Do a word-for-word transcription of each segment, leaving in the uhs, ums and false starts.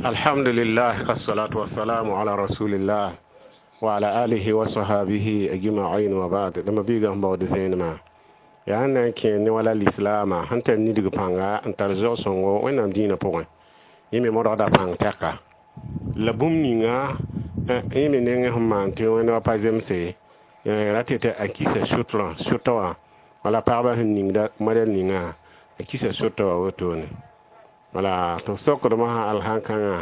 الحمد لله الصلاة والسلام على رسول الله وعلى آله وصحابه أجمعين وبعد لما بيغا مبود زينما yaa na n kẽ ne wala lislaamã sẽn tar nidg pãnga n tar zog-sõngo Wẽnnaam dĩinã pʋgẽ yẽ me modgda pãng tɛka la bũmb ninga yẽ me nengẽ sẽn maan tɩ wẽnd wa pa zemse ra tɩ tɩ a kisa sʋtrã sʋtã wã wala pagba sẽn ningda modɛl ninga a kisa sʋtã wã wotone wala tɩ f sokdmã sã alsãn-kãngã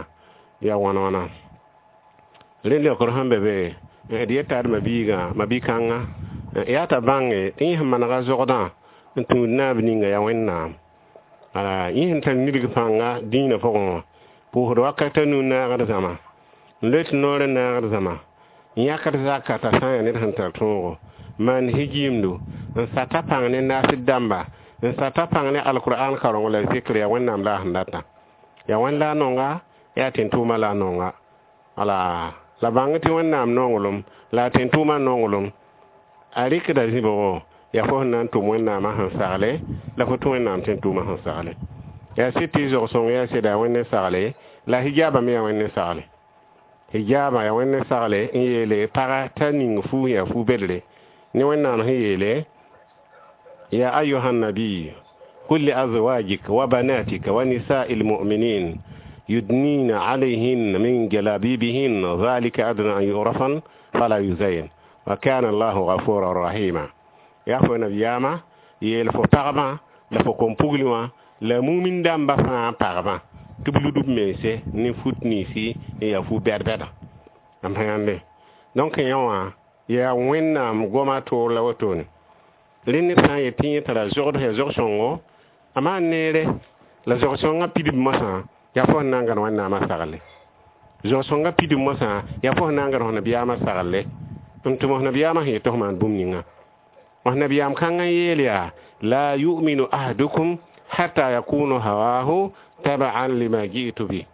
yaa wãn wãna rẽnd leokr sẽn be be d yeta d mabiigã mabi-kãngã yaa t'a bãnge tɩ yẽ sẽn manega zogdã n tũud naab ninga yaa Wẽnnaam ala yẽ sẽn tar nidg pãnga dĩinã pʋgẽ wã pʋʋsd wakat a nu naagd zãma n loe tɩ noor n naagd zãma n yãkd zaka t'a sã n yaa ned sẽn tar tõogo maan hijiimdo n sata pãng ne naasd dãmba n sata pãng ne alkur'an karengo la zikr yaa Wẽnnaam la a sẽn data yaa wẽnd la a nonga yaa tẽn-tʋʋma la a nonga ala la bãng tɩ Wẽnnaam nonglem la a tẽn-tʋʋma nonglem a rɩkda zĩbgo yaa fo sẽn na n tʋm Wẽnnaamã sẽn sagle la fo tũ Wẽnnaam tẽn-tʋʋmã sẽn sagle yaa sɩd tɩ zog-sõng yaa sɩda yaa Wẽnd n sagle la hijaabã me yaa Wẽnd n sagle hijaabã yaa Wẽnd n sagle n yeele paga t'a ning fuus yaa fu-bedre ne Wẽnnaam sẽn yeele يا أيها النبي قل لأزواجك وبناتك ونساء المؤمنين يدنين عليهن من جلابيبهن ذلك أدنى أن يعرفن فلا يؤذين وكان الله غفورا رحيما yaa fo nabiyaamã yeel fo pagmã la fo kom-pugl wã la mumin dãmbã fãa pagmã tɩ b lud b mense ne fut ninsi n yaa fu-bɛd-bɛda m yãmbe donc yẽ wã yaa Wẽnnaam goma toor la wotone rẽ ned sã n yet tɩ yẽ tara zogd yaa zog-sõngo a maan neere la zog-sõngã pidb mosã yaa fo sẽn na n gãd Wẽnnaamã sagle zog-sõngã pidb mosã yaa fo sẽn na n gãd f nabiyaamã sagle n tʋm f nabiyaamã sẽn yet tɩ f maan bũmb ninga f nabiyaam kãngã n yeel yaa لا يؤمن أحدكم حتى يكون هواه تبعا لما جئت به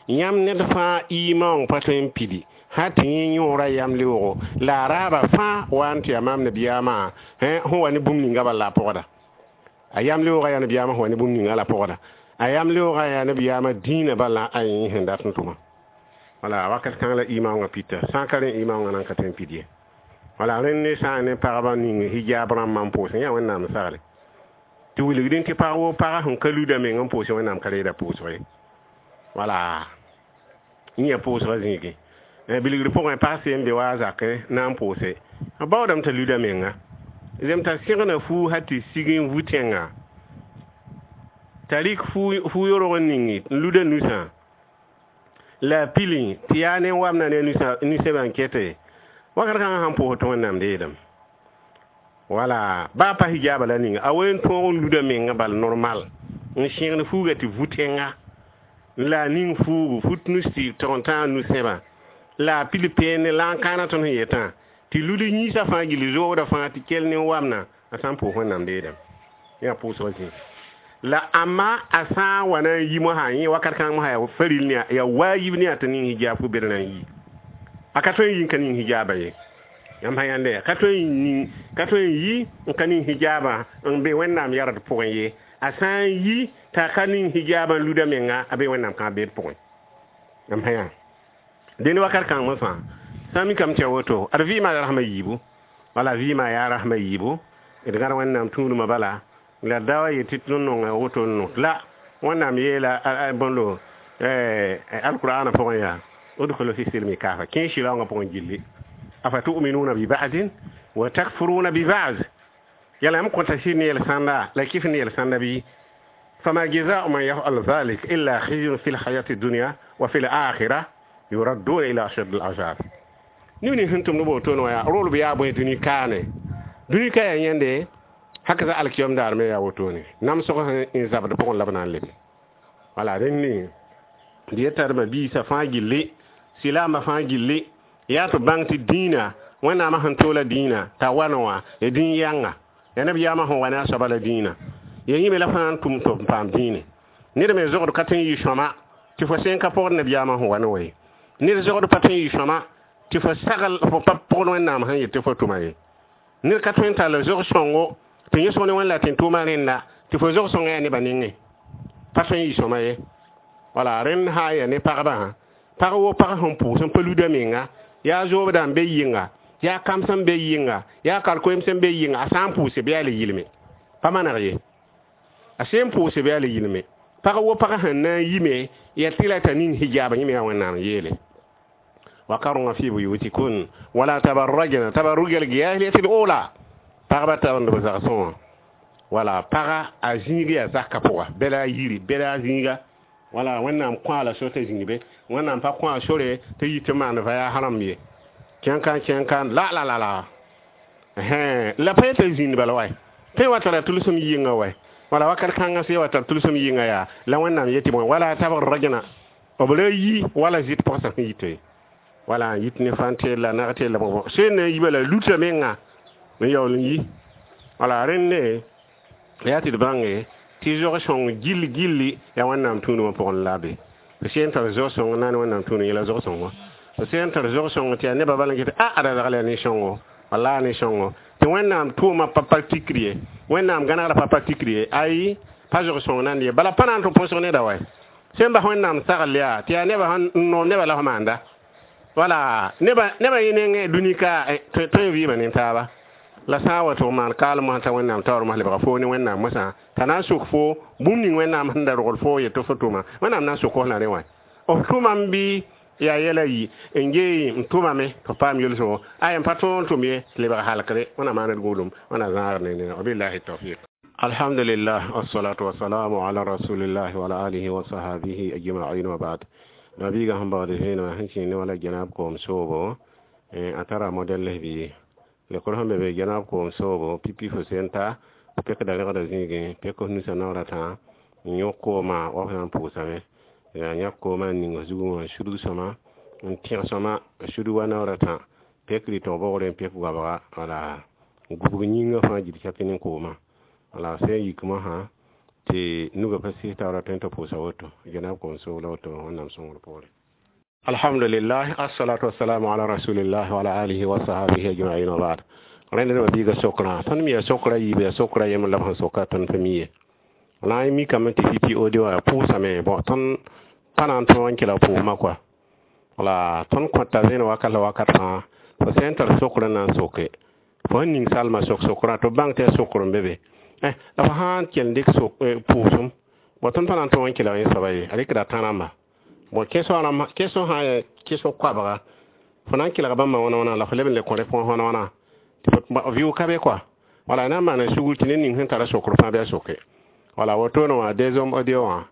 yãmb ned fãa iimã pa tõe n pidi sã tɩ yẽ yõora yam leoogo la a raaba fãa wa n tɩ yaa maam nabiyaamã sẽn wa ne bũmb ninga bala la a pʋgda a yam leoogã yaa nabiyaamã sẽn wa ne bũmb ninga la pʋgda a yam leoogã yaa nabiyaamã dĩinã bala a yẽ sẽn dat n tʋma wala wakat kãng la iimã pita sã n ka rẽ iimã nan ka tõe n pid ye wala rẽnd ne sã n ne pagba ning hijab rãmbã n pʋʋsẽ yaa Wẽnnaam sagle tɩ wilgdẽ tɩ pag woo paga sẽn ka luda meng n pʋʋsẽ Wẽnnaam ka reeda pʋʋsg ye wala yẽ pʋʋsgã zĩigẽ bilgr pʋgẽ pag seen be wa a zakẽ na n pʋʋse b baoodame t'a luda menga zem t'a sẽgna fuu sã tɩ sig n vu tẽnga t'a rɩk fuu yorg n ning n luda nusã la a pili tɩ yaa ne wamna ne nusẽbã n kete wakat kãngã sãn pʋʋs tɩ Wẽnnaam deedame wala baa pa hijaaba la ninga a wen tõog n luda menga bal normal n sẽgn fuuga tɩ vu tẽnga la a ning fuugu fut nus tɩ tog n tãag nusẽbã la a pil peene la n kãana tõnd sẽn yetã tɩ lud yĩnsã fãa gilli zoogdã fãa tɩ kell ne wamna a sã n pʋʋs Wẽnnaam deedame yaa pʋʋsgã zĩig la ãmba a sã n wa na n yi mosã yẽ wakat kãng mosã yaa faril ne yaa waayib ne yaa tɩ ning hijab fu bed na n yi a ka tõe n yi n ka ning hijaaba ye yãmb sã yãnde ka tõe n ning ka tõe n yi n ka ning hijaabã n be Wẽnnaam yard pʋgẽ ye a sã n yi t'a ka ning hijaabã n luda menga a be Wẽnnaam kãab beed pʋgẽ yãmb sã yã dẽnd wakat kãng mosã sã n mikame tɩ ya woto ad vɩɩmã yaa rasmã yiibu wala vɩɩmã yaa rasmã yiibu d gãd Wẽnnaam tũudmã bala la da wa yetɩ tõnd nonga woto n no la Wẽnnaam yeela bõndo alqur'ana pʋgẽ yaa ادخلوا في السلم كافة kẽ sɩlaoongã pʋgẽ gilli أفتؤمنون ببعض وتكفرون ببعض yãla yãmb kõta sɩd ne yel-sãnda la kɩf ne yel-sãnda bɩ فما جزاء من يفعل ذلك إلا خزي في الحياة الدنيا وفي الآخرة يردون إلى أشد العذاب neb ning sẽn tʋmd woto wã yaa rolb yaa bõe dũni kaane dũni ka yaa yẽnde haka alkiyom daar me yaa wotone namsg sẽn zabd pʋgẽ la b na n lebe wala rẽnd d yetadmã biisã fãa gilli silaambã fãa gilli yaa tɩ bãng tɩ dĩinã Wẽnnaamã sẽn toola dĩinã t'a wa wã ya dĩin yãnga ya nabiyaamã sẽn wa ne a soaba la dĩinã ya yĩme la fãa n tʋm tɩ b paam dĩine ned me zogd ka tõe n yɩ sõma tɩ fo sẽn ka pʋgd nabiyaamã sẽn wa ne wa ye ned zogd pa tõe n yɩ sõma tɩ fo sagl fo pa pʋgd Wẽnnaam sẽn yet tɩ fo tʋma ye ned ka tõe n tall zog-sõngo tɩ yẽsg ne Wẽnd la tẽn-tʋʋmã rẽnda tɩ fo zog-sõngã yaa nebã nengẽ pa tõe n yɩ sõma ye Wala rẽnd sã n yaa ne pagbã, pag wo pag sẽn pʋʋs n pa luda menga, yaa zoobdã n be yɩnga, yaa kams n be yɩnga, yaa karkoeem sẽn be yɩnga, a sã n pʋʋse bɩ yaa le yɩlme, pa maneg ye, a sẽn pʋʋse bɩ yaa le yɩlme. Pag wo pag sẽn na n yime yaa tɩ la t'a ning hijaab, yẽ me yaa Wẽnnaam yeele وقرن في بيوتكن ولا تبرجن تبرج الجاهلية الأولى. Pagba tab n b zagsẽ wã, wala paga a zĩig yaa zaka pʋga, bɛla a yiri, bɛla a zĩiga. Wala Wẽnnaam kõ la so t'a zĩig be, Wẽnnaam pa kõ a sore tɩ yit tɩ maan va yaa rãmb ye, kẽn-kã kẽn-kã la la la la la pa yetɩ zĩnd bala wa tõe wa tara tʋlsem yɩnga wa, wala wakat kãngã sã wa tar tʋlsem yɩnga yaa la Wẽnnaam yetɩ bõe, wala tabrajna b ra yi wala zɩt pɔgsã sẽn yite, wala n yit ne fãn-teel la nag-teel la bõ sẽn na n yi bala luta menga n yaool n yi. Wala rẽnde yaa tɩ d bãnge tɩ zog-sõng gill gilli yaa Wẽnnaam tũudmã pʋgẽ la be. F sẽn tar zog-sõng na ne Wẽnnaam tũud yẽla zog-sõngo, f sẽn tar zog-sõng tɩ yaa nebã bala n ket a ada zagl yaa ne-sõngo, wala ne-sõngo tɩ Wẽnnaam tʋʋmã pa pa tikr ye, Wẽnnaam gãnegrã pa pa tikr ye, ayi pa zog-sõng nan ye bala pa na n tɩ põsg neda wa sẽn bas Wẽnnaam sagl yaa tɩ yaa nebã sẽn noom nebã la f maanda. Wala nebã nebã yẽ nengẽ dũni ka tõe n vɩɩmã nin-taaba la sã n wa tɩ f maan kaalem mosã t'a Wẽnnaam taoor mos lebga foo ne Wẽnnaam mosã t'a na n suk fo bũmb ning Wẽnnaam sẽn da rogl fo yetɩ fo tʋma, Wẽnnaam na n suk f la rẽ wã f tʋmame bɩ yaa yɛla yi n gee n tʋmame tɩ f paam yelsgo aya n pa tõog n tʋm ye tɩ lebg halkre. Wẽnnaam maana d gũudum, Wẽnnaam zãagr ne nena. Wabillahi tawfiq. Alhamdulillah, wassalatu wassalamu ala rasulillah wa ala alihi wa sahabihi ajma'in wa ba'd. Nabiga sẽn baood vẽenemã sẽn kẽng ne wala gẽnab koom soobo, a tara modɛl bɩ lekr sẽn be be gẽnab koom soobo pipi fo sen ta pekda rẽgda zĩigẽ, pek f nusã naoor a tã n yõk koomã wa f na n pʋʋsame, yaa yãk koomã n ning f zugẽ wã, n sudg sõma n tẽg sõma, n sudg wa naoor a tã, pek rɩtg bogre n pek goabga, wala gubg yĩngã fãa gil saki ne koomã, wala sẽn yik mosã tɩ nugã pa sɩs taoora tõe n tɩ pʋʋsa woto gẽnab koom soogla woto Wẽnnaam sõngr poore. Alhamdulillah, assalatu wassalamu ala rasulillah wa ala alihi wa sahabihi ajma'in wa ba'd. Rẽnd nebã biiga sokraã, tõnd me yaa sokra yiib, yaa sokra yembr la b sẽn soka tõnd pa mi ye. La y mikame tɩ pipi ode wã pʋʋsame bõ, tõnd pa na n tõog n kelg pʋʋsmã kɔa, wala tõnd kõta vẽen wakat la wakat fãa. Fo sẽn tar sokr n na n soke, fo sẽn ning salmã sok sokrã tɩ b bãng tɩ yaa sokr n be be, la fo sã n kell n dɩk pʋʋsem bõ, tõnd pa na n tõog n kelg yẽ soaba ye, a rɩkda tã-rãmba. Bon, question rãmb, question sã n yaa question koabga, fo na n kelga bãmba wãna wãna la fo leb n le kõ réponse wãna wãna tɩ vɩʋʋg ka be kɔa. Wala na n maana sugr tɩ ned ning sẽn tara sokr fãa bɩ a soke. Wala wotone wã deuxième audio wã,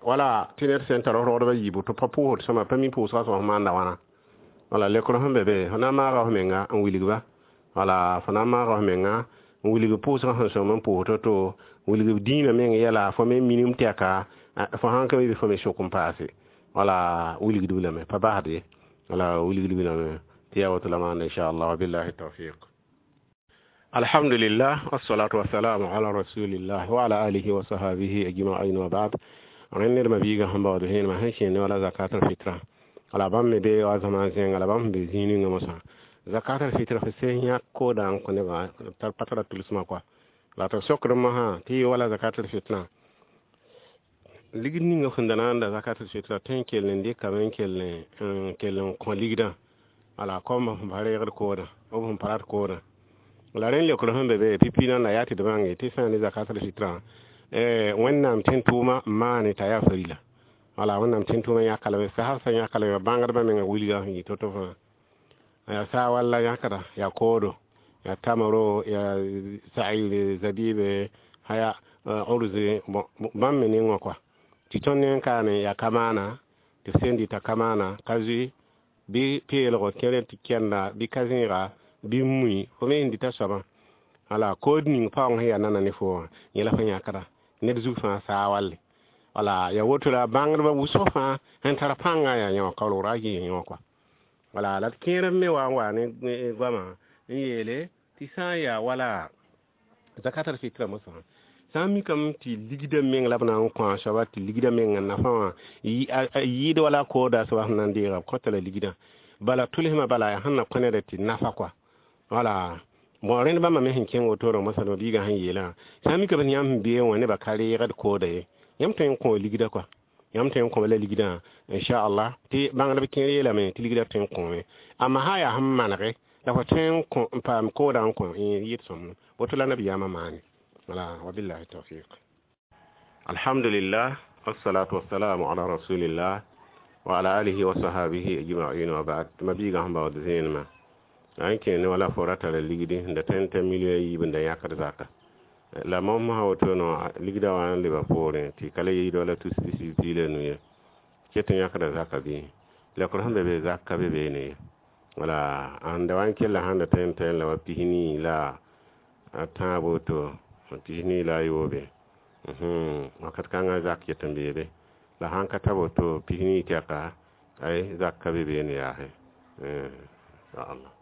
wala tɩ ned sẽn tar rogdbã yiibu tɩ pa pʋʋsd sõma, pa mi pʋʋsgã sõs maanda wãna. Wala lekr sẽn be be, fo na n maaga f menga n wilg-ba, wala fo na n maaga f menga n wilg pʋʋsgã sẽn sõm n pʋʋs to-to, wilg dĩinã meng yɛla, fo me minim tɛka fo sãn ka mi bɩ fo me sok n paase. Wala wilgdb lame pa basd ye, wala wilgdb lame tɩ yaa woto la maanda, inchallah. Wabillahi tawfiq. Alhamdulillah, wassalatu wassalamu ala rasulillah wa ala alihi wa sahabihi ajma'in wa ba'd. Rẽnd ned mabiigã sẽn baood vẽenemã sẽn kẽe ne wala zakat al fitra, wala bãmb me be wa zãma zẽnga la bãmb sẽn be zĩig ninga mosã zakat al fitra, fo sẽn yãk koodã n kõ nebã tar pa tara tʋlsmã kɔa la tɩ sokd mosã tɩ yɩ wala zakat al fitra ligd ninga sẽn da na n da zakat al fitra tõe n kell n dɩkame n kell n kell n kõ ligdã, wala kom sẽn pa reegd koodã b sẽn pa rat koodã. La rẽnd leokr sẽn be be pipi nan la yaa tɩ d bãnge tɩ sã n ne zakat al fitra, Wẽnnaam tẽn tʋʋma n maane t'a yaa farila, wala Wẽnnaam tẽn tʋʋma yãkalame sasb sã yãkalame bãngdbã menga wilga sẽn yɩ to-to fãa yaa saa walla yãkda, yaa koodo, yaa tamaro, yaa sa'ir zabibe, haya urze bãmb me nengwã kɔa tɩ tõnd ne n kaane yaa ka maana tɩ f sẽn dɩta ka maana ka zoe bɩ peelgo kẽer tɩ kɛnda bɩ ka zẽega bɩ mui fo me sẽn dɩta soabã. Wala kood ning paoong sẽn yaa nana ne fo wã yẽ la fo yãkda ned zug fãa saa walle. Wala yaa woto la bãngdbã wʋsg fãa sẽn tar pãngã yaa yẽ wã kaoolgr a yɩ yẽ wã kɔa. Wala la d kẽerb me wa n wa ne goamã n yeele tɩ sã n yaa wala zakat al fitra mosã, sã n mikame tɩ ligdã meng la b na n kõ a soaba tɩ ligdã mengã nafã wã yɩɩd wala kooda soaba sẽn na n deega b kõta la ligdã bala tʋlsmã bala yaa sẽn na kõ neda tɩ nafa kɔa. Wala bon, rẽnd bãmba me sẽn kẽng wotore mosã biigã sẽn yeelã, sã n mikame tɩ yãmb sẽn beẽ wã nebã ka reegd kooda ye, yãmb tõe n kõ ligdã kɔa. Yãmb tõe n kõme la ligdã, inchallah, tɩ bãngdb kẽer yeelame tɩ ligdã tõe n kõome. Amma sã n yaa sẽn manege la fo tõe n kõ n paam koodã n kõ, yɩɩd sõmb woto la nabiyaamã maane. Wala, wabillahi tawfiq. Alhamdulillah, wassalatu wassalamu ala rasulillah wa ala alihi wa sahabihi ajma'in wa ba'd. Mabiiga sẽn baood zẽenemã n kẽ ne wala fo ra tara ligdi n da tõe n ta million yiib n da yãkd zaka la mosã woto no ligdã wã n leba poorẽ tɩ ka le yiid wala tus pisi pii la nu ye ket n yãkda zaka bɩ lekr sẽn be be zak ka be beene ye. Wala ãnda wa n kella sãn da tõe n tẽ la wa pis-nii la a tãab woto, pis-nii la a yoobe, wakat kãngã zak ket n beebe. La sãn ka ta woto pis-nii tɛka, ay zak ka be beene yaase, inchallah.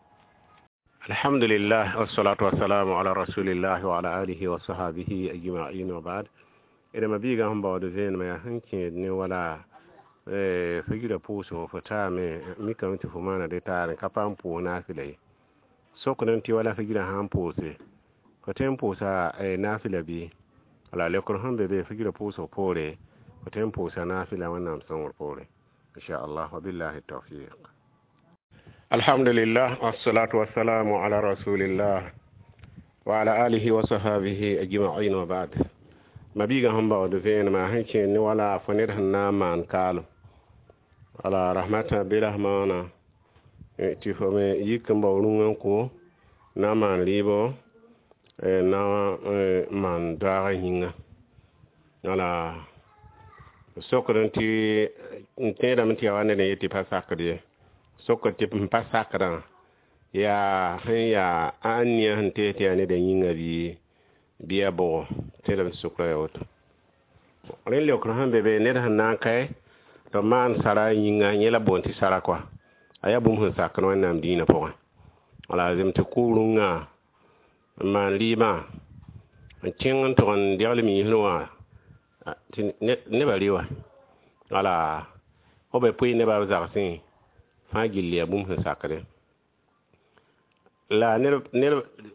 Alhamdulillah, wassalatu wassalamu ala rasulillah wa ala alihi wa sahabihi ajma'in wa ba'd. Eda mabiiga sẽn baood zẽenemã yaa sẽn kẽed ne wala fo yira pʋʋsgo fo taame mikame tɩ fo maana dɩ taare ka paam pʋʋs naafɩla ye. Sokd n tɩ wala fo yirã sã n pʋʋse, fo tõe n pʋʋsa naafɩla bɩ? Wala lekr sẽn be be fo yira pʋʋsg poore, fo tõe n pʋʋsa naafɩla Wẽnnaam sõngr poore, inchallah. Wabillahi tawfiq. Alhamdulillah, wassalatu wassalamu ala rasulillah wa ala alihi wa sahabihi ajma'in wa ba'd. Mabiiga sẽn baood vẽenemã sẽn kẽed ne wala fo ned sẽn na n maan kaalem, wala rahmata birahmana tɩ fo me yik n bao rũngã n kõ na n maan rɩɩbo, na n maan doaagã yĩnga. Wala sokd n tɩ n tẽedame tɩ yaa wa ned n yet tɩ pa sakd ye. Sokd tɩ n pa sakdã yaa sẽn yaa a nia sẽn tees tɩ yaa neda yĩnga bɩ bɩ yaa bʋgo. Tẽedame tɩ sokrã yaa woto. Rẽnd leokr sẽn be be ned sẽn na n kae tɩ b maan sara yĩnga, yẽ la boond tɩ sara kɔa, a yaa bũmb sẽn sakd Wẽnnaam dĩinã pʋgẽ. Wala zem tɩ kʋ rũngã n maan rɩɩbã n kẽng n tʋg n degl miisr wã tɩ nebã rɩ wa. Wala f be pʋɩ nebã b zagsẽ fãa gill yaa bũmb sẽn sakdẽ. La ned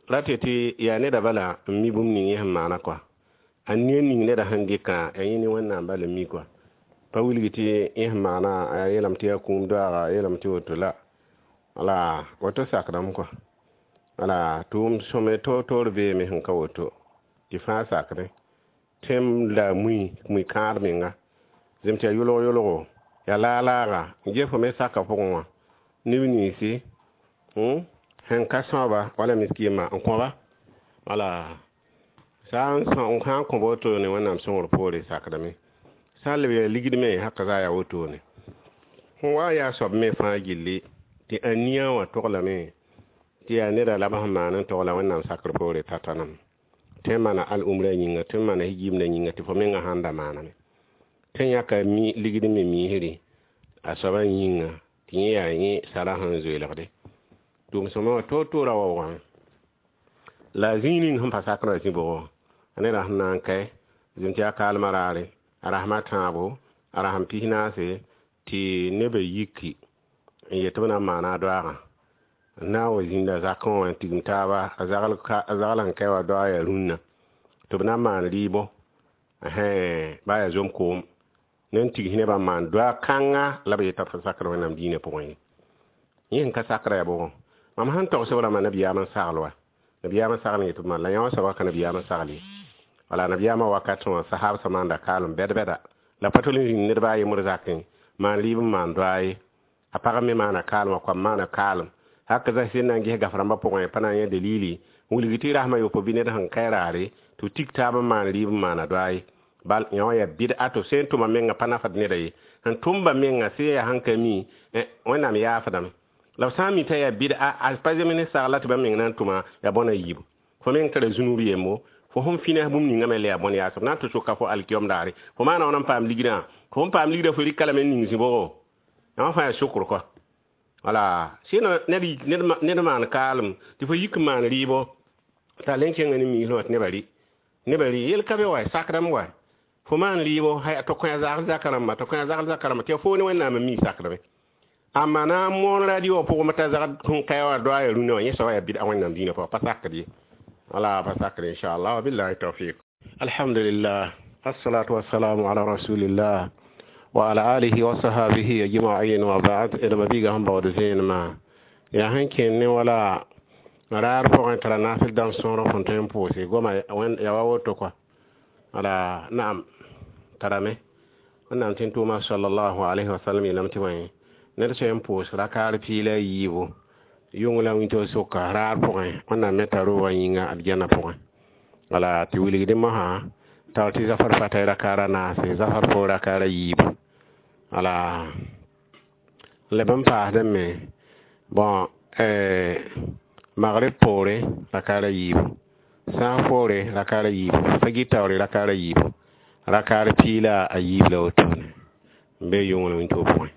rate tɩ yaa neda bala n mi bũmb ning yẽ sẽn maana kɔa. A nia ning neda sẽn dɩkã yaa yẽ ne Wẽnnaam bala n mi kɔa. Pa wilg tɩ yẽ sẽn maana a yeelame tɩ yaa kũum doaaga, a yeelame tɩ woto la. Wala woto sakdame kɔa. Wala tʋʋm sõme toor-toor beeme sẽn ka woto tɩ fãa sakdẽ. Tẽm la mui mui kãad menga zem tɩ yaa yʋlg-yʋlgo, yaa laag-laaga n ges fo me saka pʋgẽ wã neb ninsi sẽn ka sõaba wala miskiimã n kõba. Wala sã n sã n kõb wotone Wẽnnaam sõngr poore sakdame. Sã n leb yaa ligd me haka zaa yaa wotone. Sẽn wa yaa soab me fãa gilli tɩ a nia wã toglame tɩ yaa neda la b sẽn maan n togla Wẽnnaam sakr poore tata name. Tõe n maana al-umrã yĩnga, tõe n maana yimdã yĩnga tɩ fo mengã sãn da maaname. Tõe n yãka mi ligd me miisri a soabã yĩnga tɩ yẽ yaa yẽ sara sẽn zoeelgde. Tʋʋm sõma wã toor-toorã waoogame. La zĩig ning sẽn pa sakrã zĩ bʋgo, a neda sẽn na n kae zem tɩ yaa kaalmã raare, a rasmã tãabo, a rasem pis-naase tɩ nebã yiki n yet tɩ b na n maana a doaagã. N na n wa zĩnda zakẽ wã n tigim taaba, a zagl sẽn kae wã doaag yaa rũnnã tɩ b na n maan rɩɩbo baa yaa zom-koom ne n tigs nebã n maan doaag kãnga la b yeta tɩ sakd Wẽnnaam dĩinã pʋgẽ ye. Yẽ sẽn ka sakrã yaa bʋgõ. Mam sẽn togs b rãmbã nabiyaam n sagl wa. Nabiyaam n sagl n yet b maan la yã wã soabã ka nabiyaam n sagl ye. Wala nabiyaamã wakat wã sahab sã maanda kaalem bɛd-bɛda la pa tol n zĩnd ned baa yembr zakẽ maan rɩɩb n maan doaa ye. A pag me maana kaalem, a koam maana kaalem. Hak zã sẽn na n ges gaf rãmbã pʋgẽ pa na n yã dalili n wilg tɩ rasmã yopo bɩ ned sẽn kae raare tɩ b tik taab n maan rɩɩb n maana doaa ye. Bal yã wã yaa bɩd'a tɩ b sẽn tʋma menga pa nafd neda ye. Sẽn tʋmba menga sẽn yaa sẽn ka mi, Wẽnnaam yaafdame. La b sã n mi t'a yaa bɩd'a a pa zem ne sagla tɩ bãmb meng na n tʋma yaa bõna yiibu. Fo meng tara zũnub yembo, fo sẽn fĩnas bũmb ninga me le yaa bõn yaasb. Na n tɩ soka fo alkiyom daare. Fo maana wãn n paam ligdã? Fo sẽn paam ligdã fo rɩka lame n ning zĩ-bʋgo. Yã wã fãa yaa sokr kɔa. Wala sɩno ned maan kaalem tɩ fo yik n maan rɩɩbo t'a le n kẽnga ne miisrẽ wã tɩ nebã rɩ. Nebã rɩ yel ka be wa, sakdame wa. Fo maan rɩɩbo tɩ kõ a zagl zaka rãmba, tɩ kõ a zagl zaka rãmba tɩ yaa fo ne Wẽnnaam n mi sakdame. Amma na n moon radio wã pʋgẽ t'a zagd sẽn kae wã doa yaa rũnnã wã yẽ soaba yaa bɩd'a Wẽnnaam dĩinã pʋgã pa sakd ye. Wala pa sakd inchallah, wabillahi tawfiq. Alhamdulillah, assalatu wassalamu ala rasulillah وعلى آله وصحابه أجمعين وبعد إلى مبيغا هم بعد زين ما يا هنكين ولا raar pʋgẽ tara naasl dãmb sõor fõn tõe n pʋʋse goma ya wa woto kɔa ala naam tarame wẽnnaam tɩ n tʋʋma sallallahu alayhi wa sallam yeelame tɩ bõe ned sã n pʋʋs rakaar piig la a yiibu yʋng la wĩntoog sʋka raar pʋgẽ wẽnnaam me tara roogã yĩnga aljanna pʋgẽ wala tɩ wilgdẽ mosã taoor tɩ zafar fata rakaar a naase zafar poor rakaar a yiibu wala leb n paasdẽ me bon magrib poore rakaar a yiibu sãas poore rakaar a yiibu fagir taoore rakaar a yiibu rakaar piig la a yiib la wotone n be yʋng la wĩntoog pʋgẽ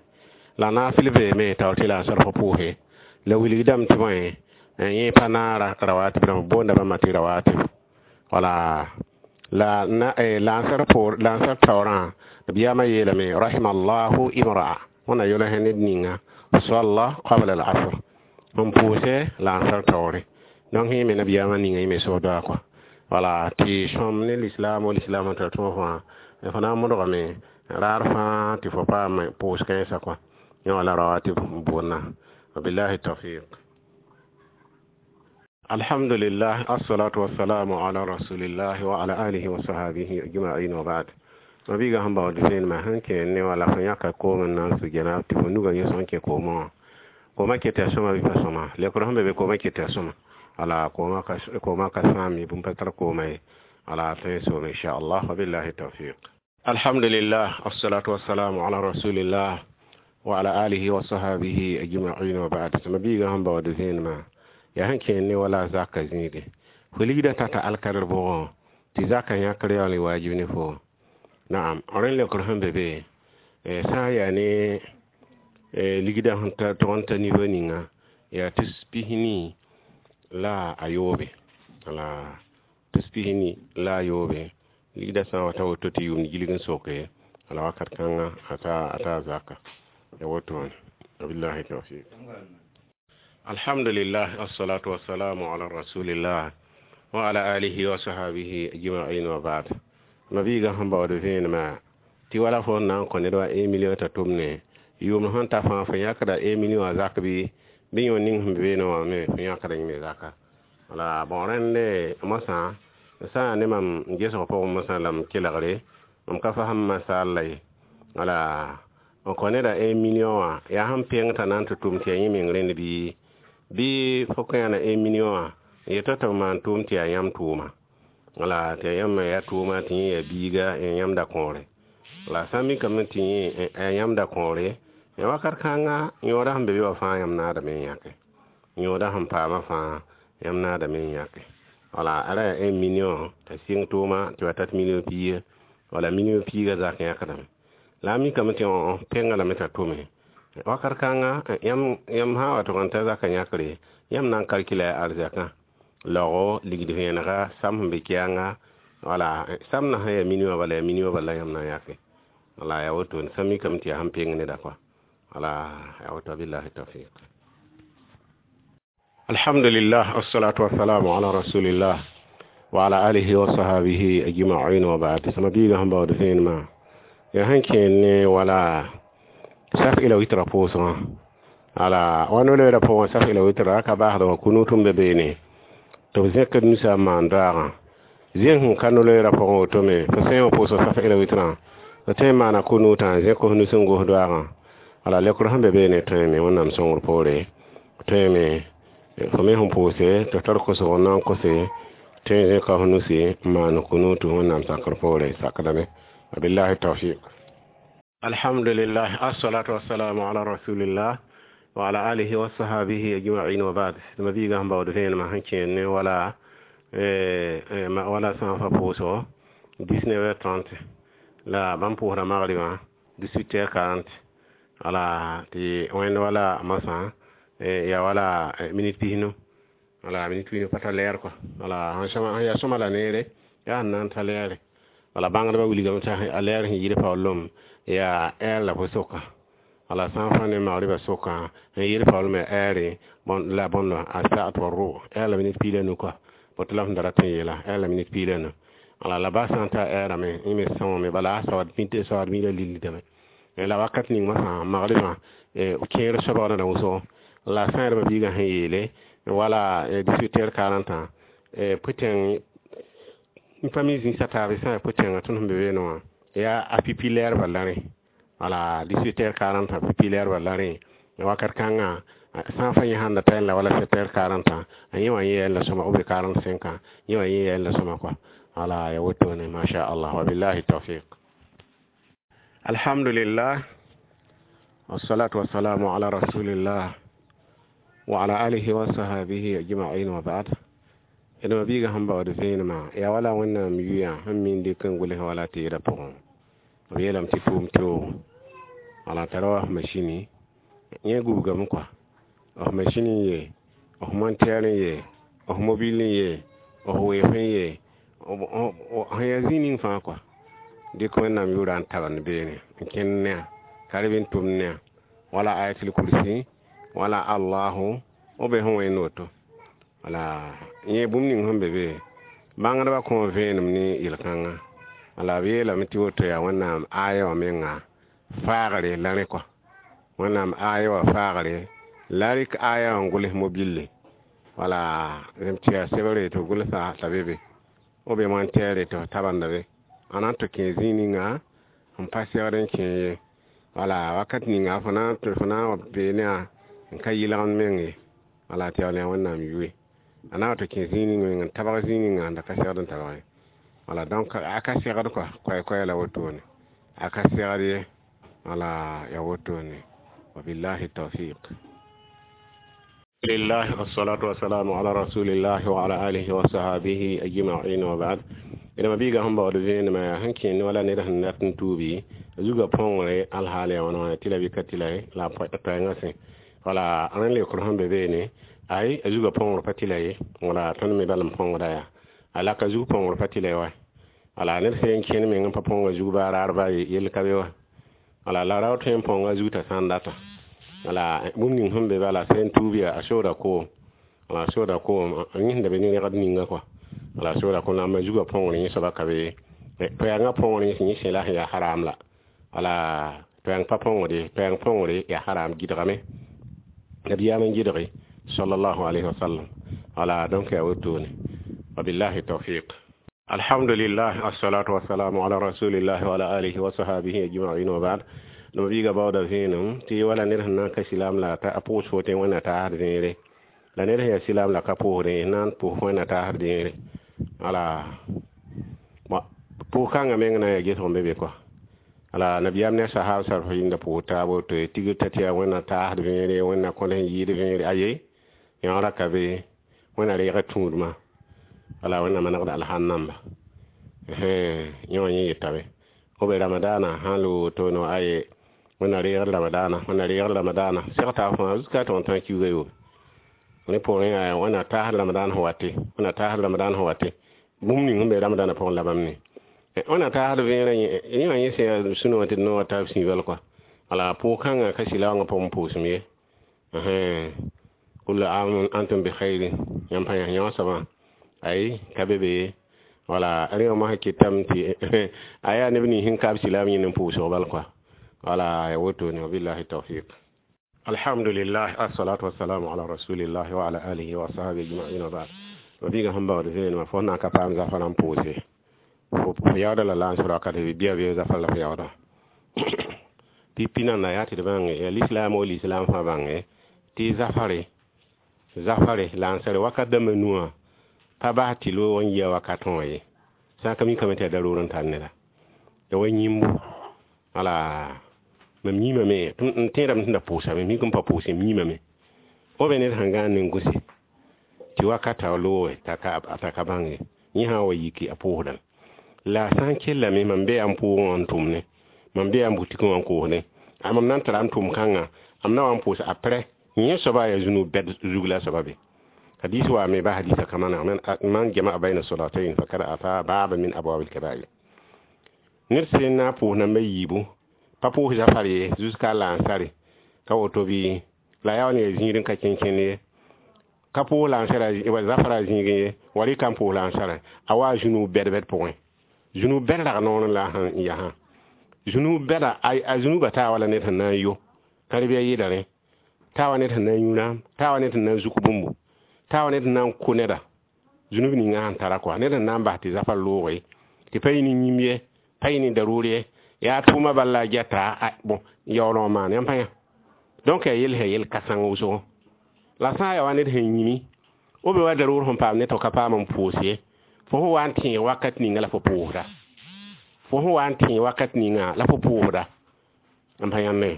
la naasl beeme taoor tɩ la n sarf pʋʋse la wilgdame tɩ bõe yẽ pa naara rawatib rãmb boonda bãmba tɩ rawatib wala la lansar poor lansar taoorã b yaama yeelame rahimallahu imra'a wẽnna yʋls ned ninga salla qabla al asr n pʋʋsɛ lansar taoore donc yẽ me nabiyaamã ninga yẽ me sʋgda kɔa wala tɩ sõm ne lislaam wa lislaam n tar tõog fãa fo na n modgame raar fãa tɩ fo paam pʋʋs kãensã kɔa yẽ wala rawatib n boonna wabillahi tawfiq alhamdulillah assalatu wassalamu ala rasulillah wa ala alihi wa sahabihi ajma'in wa ba'd mabiga sẽn baood vẽenemã sẽn kẽ ne wala fo yãka koom n na n su gɛna tɩ fo nuga yẽ sẽn kẽ koomã wã koomã ket yaa sõma bɩ pa sõma lekr sẽn be be koomã ket yaa sõma ala koomã ka sãam ye bũmb pa tar koomã ye ala tõe n soome inchallah wabillahi tawfiq alhamdulillah assalatu wassalamu ala rasulillah wa ala alihi wa sahabihi ajma'in wa ba'd mabiga sẽn baood vẽenemã yaa sẽn kẽer ne wala zaka zĩige fo ligdã tata alkadr bʋgẽ tɩ zaka yãkr yaool n waajib ne fo naam rẽn lekr sẽn be be sã n yaa ne ligdã sẽn tog n ta niveau ninga yaa tus pisni la a yoobe la tus pisni la a yoobe ligdã sã n wa ta woto tɩ yʋʋmd gilg n soke la wakat kãnga a ta zaka ya woto wã wabillahi tawfiq alhamdulillah assalatu wassalamu ala rasulillah wa ala alihi wa sahabihi ajma'in wa ba'd mabiiga sẽn baood vẽenemã tɩ wala fo n na n kõ ned wa un million t'a tʋmne yʋʋmd sẽn ta fãa fo yãkda un million wã zak bɩ bɩ yõ ning sẽn be beene wã me fo yãkda yẽme zaka wala bon rẽnde mosã sã n yaa ne mam n gesg pʋgẽ mosã la m kelgre mam ka fasem masaal la ye wala n kõ neda un million wã yaa sẽn peng t'a na n tɩ tʋm tɩ yaa yẽ meng rẽnd bɩ bɩ fo kõ yãna un million wã n yeta tɩ b maan tʋʋm tɩ yaa yãmb tʋʋma wala tɩ yaa yãmb yaa tʋʋma tɩ yẽ yaa biiga n yãmda kõore la sã n mikame tɩ yẽ yaa yãmda kõore ya wakat kãnga yõoda sẽn be be wã fãa yãmb naadame n yãke yõoda sẽn paamã fãa yãmb naadame n yãke wala ara yaa un million t'a sɩng tʋʋma tɩ wa tat million piiga wala million piiga zak yãkdame la a mikame tɩ penga lame t'a tʋme wakat kãnga yãmb sã n wa tʋg n ta zaka yãkre yãmb na n kalkila ya arzakã laogo ligd vẽenega sam sẽn be kɛɛnga wala sam na sã yaa million bala yaa million bala yãmb na n yãke wala yaa woto sã mikame tɩ yaa sẽn peng neda kɔa wala yaa woto billahi tawfiq alhamdulillah assalatu wassalamu ala rasulillah wa ala alihi wa sahabihi ajma'in wa ba'd sama biiga sẽn baood vẽenemã yaa sẽn kẽer ne wala saf ila witra pʋʋsgã ala wa no-loeerã pʋgẽ saf ila witra ka baasd wã kunut n be beene tɩ b zẽkd nusa n maan daagã zẽn sẽn ka no-loeerã pʋgẽ woto me fo sã n wa pʋʋsg saf ila witrã fo tõe n maana kunutã zẽk f nus n gos doaagã ala lekr sẽn be beene tõeme wẽnnaam sõngr poore tõeme fo me sẽn pʋʋse tɩ tar kosg n na n kose tõe n zẽka f nusi n maan kunutu wẽnnaam sakr poore sakdame wabillahi tawfiq alhamdulillah assalatu wassalamu ala rasulillah wa ala alihi wa sahabihi ajma'in wa ba'd mabiiga sẽn baood vẽenemã sẽn kẽer ne wala wala sã n fa pʋʋsgo dix-neuf heures trente la bãmb pʋʋsda magribã dix-huit heures quarante wala tɩ wẽnd wala masã yaa wala minute pisnu wala minute pisnu pa ta lɛɛr kɔa wala sẽn yaa sõma la neere yaa sẽn na n ta lɛɛre wala bãngdbã wilgame tɩ a lɛɛr sẽn yɩɩd paoolem yaa ɛɛr la fo soka wala sã n fã ne magribã sʋkã n yɩɩd paoolem yaa ɛɛre la bõndo a saat wa rʋ ɛɛr la minute piig la nu kɔa boto la f da rat n yeela ɛɛr la minute piig la nu wala la ba sã n ta ɛɛrame yẽ me sõngame bala a saood saood mila lillidame La wakat ning masã magribã kẽer soabg na wʋsgo la sã y biigã sẽn yeele wala dix-huit heures quarante pʋtẽng n pa mi zĩisa taab sã yaa pʋtẽngã tõnd sẽn be beene wã yaa a pipi lɛɛrbã la rẽ wala dix-huit heures quarante pipi lɛɛrbã la rẽ wakat kãngã sã n fa yẽ sãn da ta la wala sept heures quarante a yẽ wã yẽ la sõma ou bien quarante-cinq ans yẽ wã yẽ la sõma quoi wala ya wotone masha Allah wa billahi tawfiq alhamdulillah والصلاة والسلام على رسول الله وعلى آله وصحبه أجمعين وبعد d ma-biigã sẽn baood vẽenemã yaa wala wẽnnaam yʋyã sẽn min dɩk n gʋls wala teedã pʋgẽ b yeelame tɩ tʋʋm teoogo wala tara wa f masini yẽ gubgame kɔa f masini n ye f montɛɛr n ye f mobil n ye f weef n ye sẽn yaa zĩig ning fãa kɔa dɩk wẽnnaam yʋʋra n tabend beene n kẽnd ne a ka reb n tʋmd ne a wala ayatul kursi wala allahu b be sẽn wẽnd woto wala yẽ bũmb ning sẽn be be bãngdbã kõ vẽenem ne yel-kãngã wala b yeelame tɩ woto yaa wẽnnaam aya wã menga faagre la rẽ kɔa wẽnnaam aya wã faagre la rɩk aya wã n gʋls mobile wala rẽm tɩ yaa sebre tɩ b gʋlsa t'a be be b be montɛɛre tɩ f tabenda be a na n tɩ kẽ zĩig ninga n pa segd n kẽ ye wala wakat ninga fo na fo na n wa bee ne a n ka yɩlgend meng ye wala tɩ yaool yaa wẽnnaam yʋe a na wa tɩ kẽ zĩig ning meng n tabg zĩig ninga n da ka segd n tabg ye wala donc a ka segd kɔa koɛɛ-koɛɛ la wotone a ka segd ye wala ya wotone wabillahi tawfiq لله والصلاة والسلام على رسول الله وعلى آله وصحبه أجمعين وبعد d ma-biigã sẽn baood vẽenemã yaa sẽn kẽnd wala ned sẽn dat n tuubi zugã põngre alhaal yaa wãna wãna tɩ la bɩ ka tɩ la ye la a toɛɛngã sẽ wala rẽnd leokr sẽn be beene ay a zugã põngr pa tɩ la ye wala tõnd me bal n põngda yaa a la ka zug põngr pa tɩ la ye wa wala ned sẽn kẽnd meng n pa põnga zug baa raar baa ye yell ka be wa wala la rao tõe n põnga zug t'a sã n data wala bũmb ning sẽn be bala sẽn tuub yaa a sooda koom wala a sooda koom a yẽsda be ne rẽgd ninga kɔa wala a sooda koom la a zugã põngr yẽ soaba ka be toɛɛngã põngr yẽ sẽn la sẽn yaa haram la wala toɛɛng pa põngde toɛɛng põngre yaa haram gɩdgame nabiyaam n gɩdge sallallahu alayhi wa sallam wala donc yaa wotone wabillahi tawfiq alhamdulillah assalatu wassalamu ala rasulillah wa ala alihi wa sahabihi ajma'in wa ba'd d ma-biigã baooda vẽenem tɩ wala ned sẽn na n ka silaam la a pʋʋs fo tɩ wẽnna taasd zẽere la ned sẽn yaa silaam la ka pʋʋsdẽ na n pʋʋs wẽnna taasd zẽere wala pʋʋs-kãngã meng na n yaa gesg n be be kɔa wala nabiyaam ne a sahab sar f yĩnda pʋʋs taab woto tigr t'a tɩ yaa wẽnna taasd vẽere wẽnna kõd sẽn yɩɩd vẽere aye yõora ka be wẽnna reega tũudmã wala wẽnna manegd alhan namba yẽ wã yẽ yetame b ramadana sãn loog woto aye wẽnna reegd ramadana wẽnna reegd ramadana seg taab fãa jusqu'à tɩ tã kiuga yoobe rẽ pʋgẽ yaa wẽnna taasd ramadan sẽn wate wẽnna taasd ramadan sẽn wate bũmb ning sẽn be ramadana pʋgẽ la bãmb ne wẽnna taasd vẽerã yẽ wã yẽ sẽn yaa sũ wã tɩ d noogã taab sĩibal kɔa wala pʋʋg-kãngã ka sɩlaoongã pʋgẽ pʋʋsem ye kullu am antum bi khairin yãmb pa yã yõ soabã ay ka be be wala rẽ wã mosã kɩtame tɩ a yaa neb nins sẽn kaab silaam yẽnd n pʋʋsg bal kɔa wala ya wotone wabillahi tawfiq alhamdulillah assalatu wassalamu ala rasulillah wa ala alihi wa ashabihi ajma'in wa ba'd ma-biigã sẽn baood vẽenemã fo na n ka paam zafã n pʋʋse fo yaooda la lansr wakat bɩa bɩ zafã la f yaooda pipi nanda yaa tɩ d bãnge yaa lislaam wo lislaam fãa bãnge tɩ zafare zafare lansre wakat dãmbã nuwã pa bas tɩ loog n yia wakatẽ wã ye sã n ka mikame tɩ yaa daroor n tar neda ya wa yĩmbo wala mam yĩmame n tẽedame tɩ da pʋʋsame mik n pa pʋʋse m yĩmame b be ned sẽn gãan ne n gʋse tɩ wakata looge t'a ka bãnge yẽ sã n wa yiki a pʋʋsdame la sã n kellame mam bee n pʋʋgẽ wã n tʋmne mam bee n butikẽ wã n koosdẽ a mam na n tara n tʋm kãngã m na wa n pʋʋs après yẽ soaba yaa zũnug bɛd zug la a soaba be hadis wa me ba hadisa kamana man jama'a bayna salatayn fakad ata baba min abwab al-kaba'ir ned sẽn na n pʋʋs namba yiibu pa pʋʋs zafar ye jusqu'à lansare ka woto bɩ la yaa wa ne zĩig n ka kẽn-kẽnd ye ka pʋʋs lansara wa zafara zĩigẽ ye wa rɩka n pʋʋs lansara a wa zũnug bɛd-bɛd pʋgẽ zũnug bɛd rag noor la sẽn yasã Zũnub bɛda a zũnubã taa wala ned sẽn na n yo kãreb-a yɩla rẽ taa wa ned sẽn na n yũ rãam taa wa ned sẽn na n zuk bũmbu taa wa ned sẽn na n kʋ neda zũnub ninga sẽn tara kɔa ned sẽn na n bas tɩ zafar looge tɩ pa yɩ ne yĩmb ye pa yɩ ne daroor ye yaa tʋʋma bal la a gɛta bon yaool wã maan yãmb pa yã donc yaa yell sẽn yel kãseng wʋsgo la sã n yaa wa ned sẽn yĩmi b be wa daroor sẽn paam ned tɩ ka paam n pʋʋs ye fo sẽn wa n tẽeg wakat ninga la fo pʋʋsda fo sẽn wa n tẽeg wakat ninga la fo pʋʋsda n pa yãmbe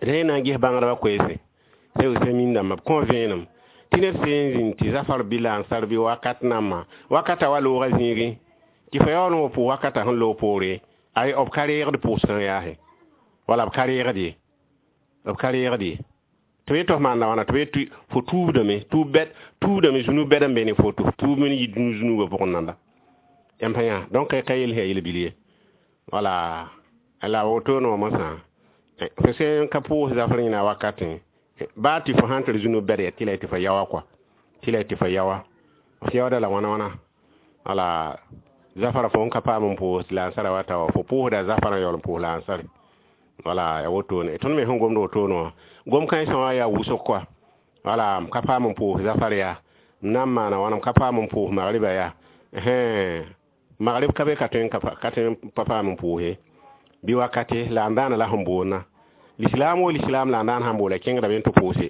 rẽ na n ges bãngdbã koeese sẽn dãmba b kõ vẽenem tɩ ned sẽn zĩnd tɩ zafar bɩ la n sar bɩ wakat nambã wakata wa looga zĩigẽ tɩ fo yaool n wa pʋʋs wakata sẽn loog poore ay b ka reegd pʋʋsgã yaase wala b ka reegd ye b ka reegd ye tɩ b yetɩ f maanda wãna tɩ b yetɩ fo tuubdame tuub bɛd tuubdame zũnub bɛd n be ne fo tɩ f tuub n yɩ dũni zũnubã pʋgẽ nanda yãmb pa yã donc ka yell sẽn yaa yel-bil ye wala la woto no mosã fo sẽn ka pʋʋs zafr yẽna wakatẽ baa tɩ fo sãn tɩ zũnub bɛd ya tɩ la tɩ fo yaoa kɔa tɩ la tɩ fo yaoa f yaooda la wãna wãna wala zafara fo n ka paam n pʋʋs la n sara wa ta wa fo pʋʋsda zafara n yaool n pʋʋs la n sare wala ya wotone tõnd me sẽn gomd wotone wã gom kãensã wã yaa wʋsg kɔa wala m ka paam n pʋʋs zafar yaa m na n maana wãna m ka paam n pʋʋs magriba yaa magrib ka be ka tõe ka tõe n pa paam n pʋʋs ye bɩ wakate la n daana la sẽn boonna lislaam wo lislaam la n daan sãn boola kẽngdame n tɩ pʋʋse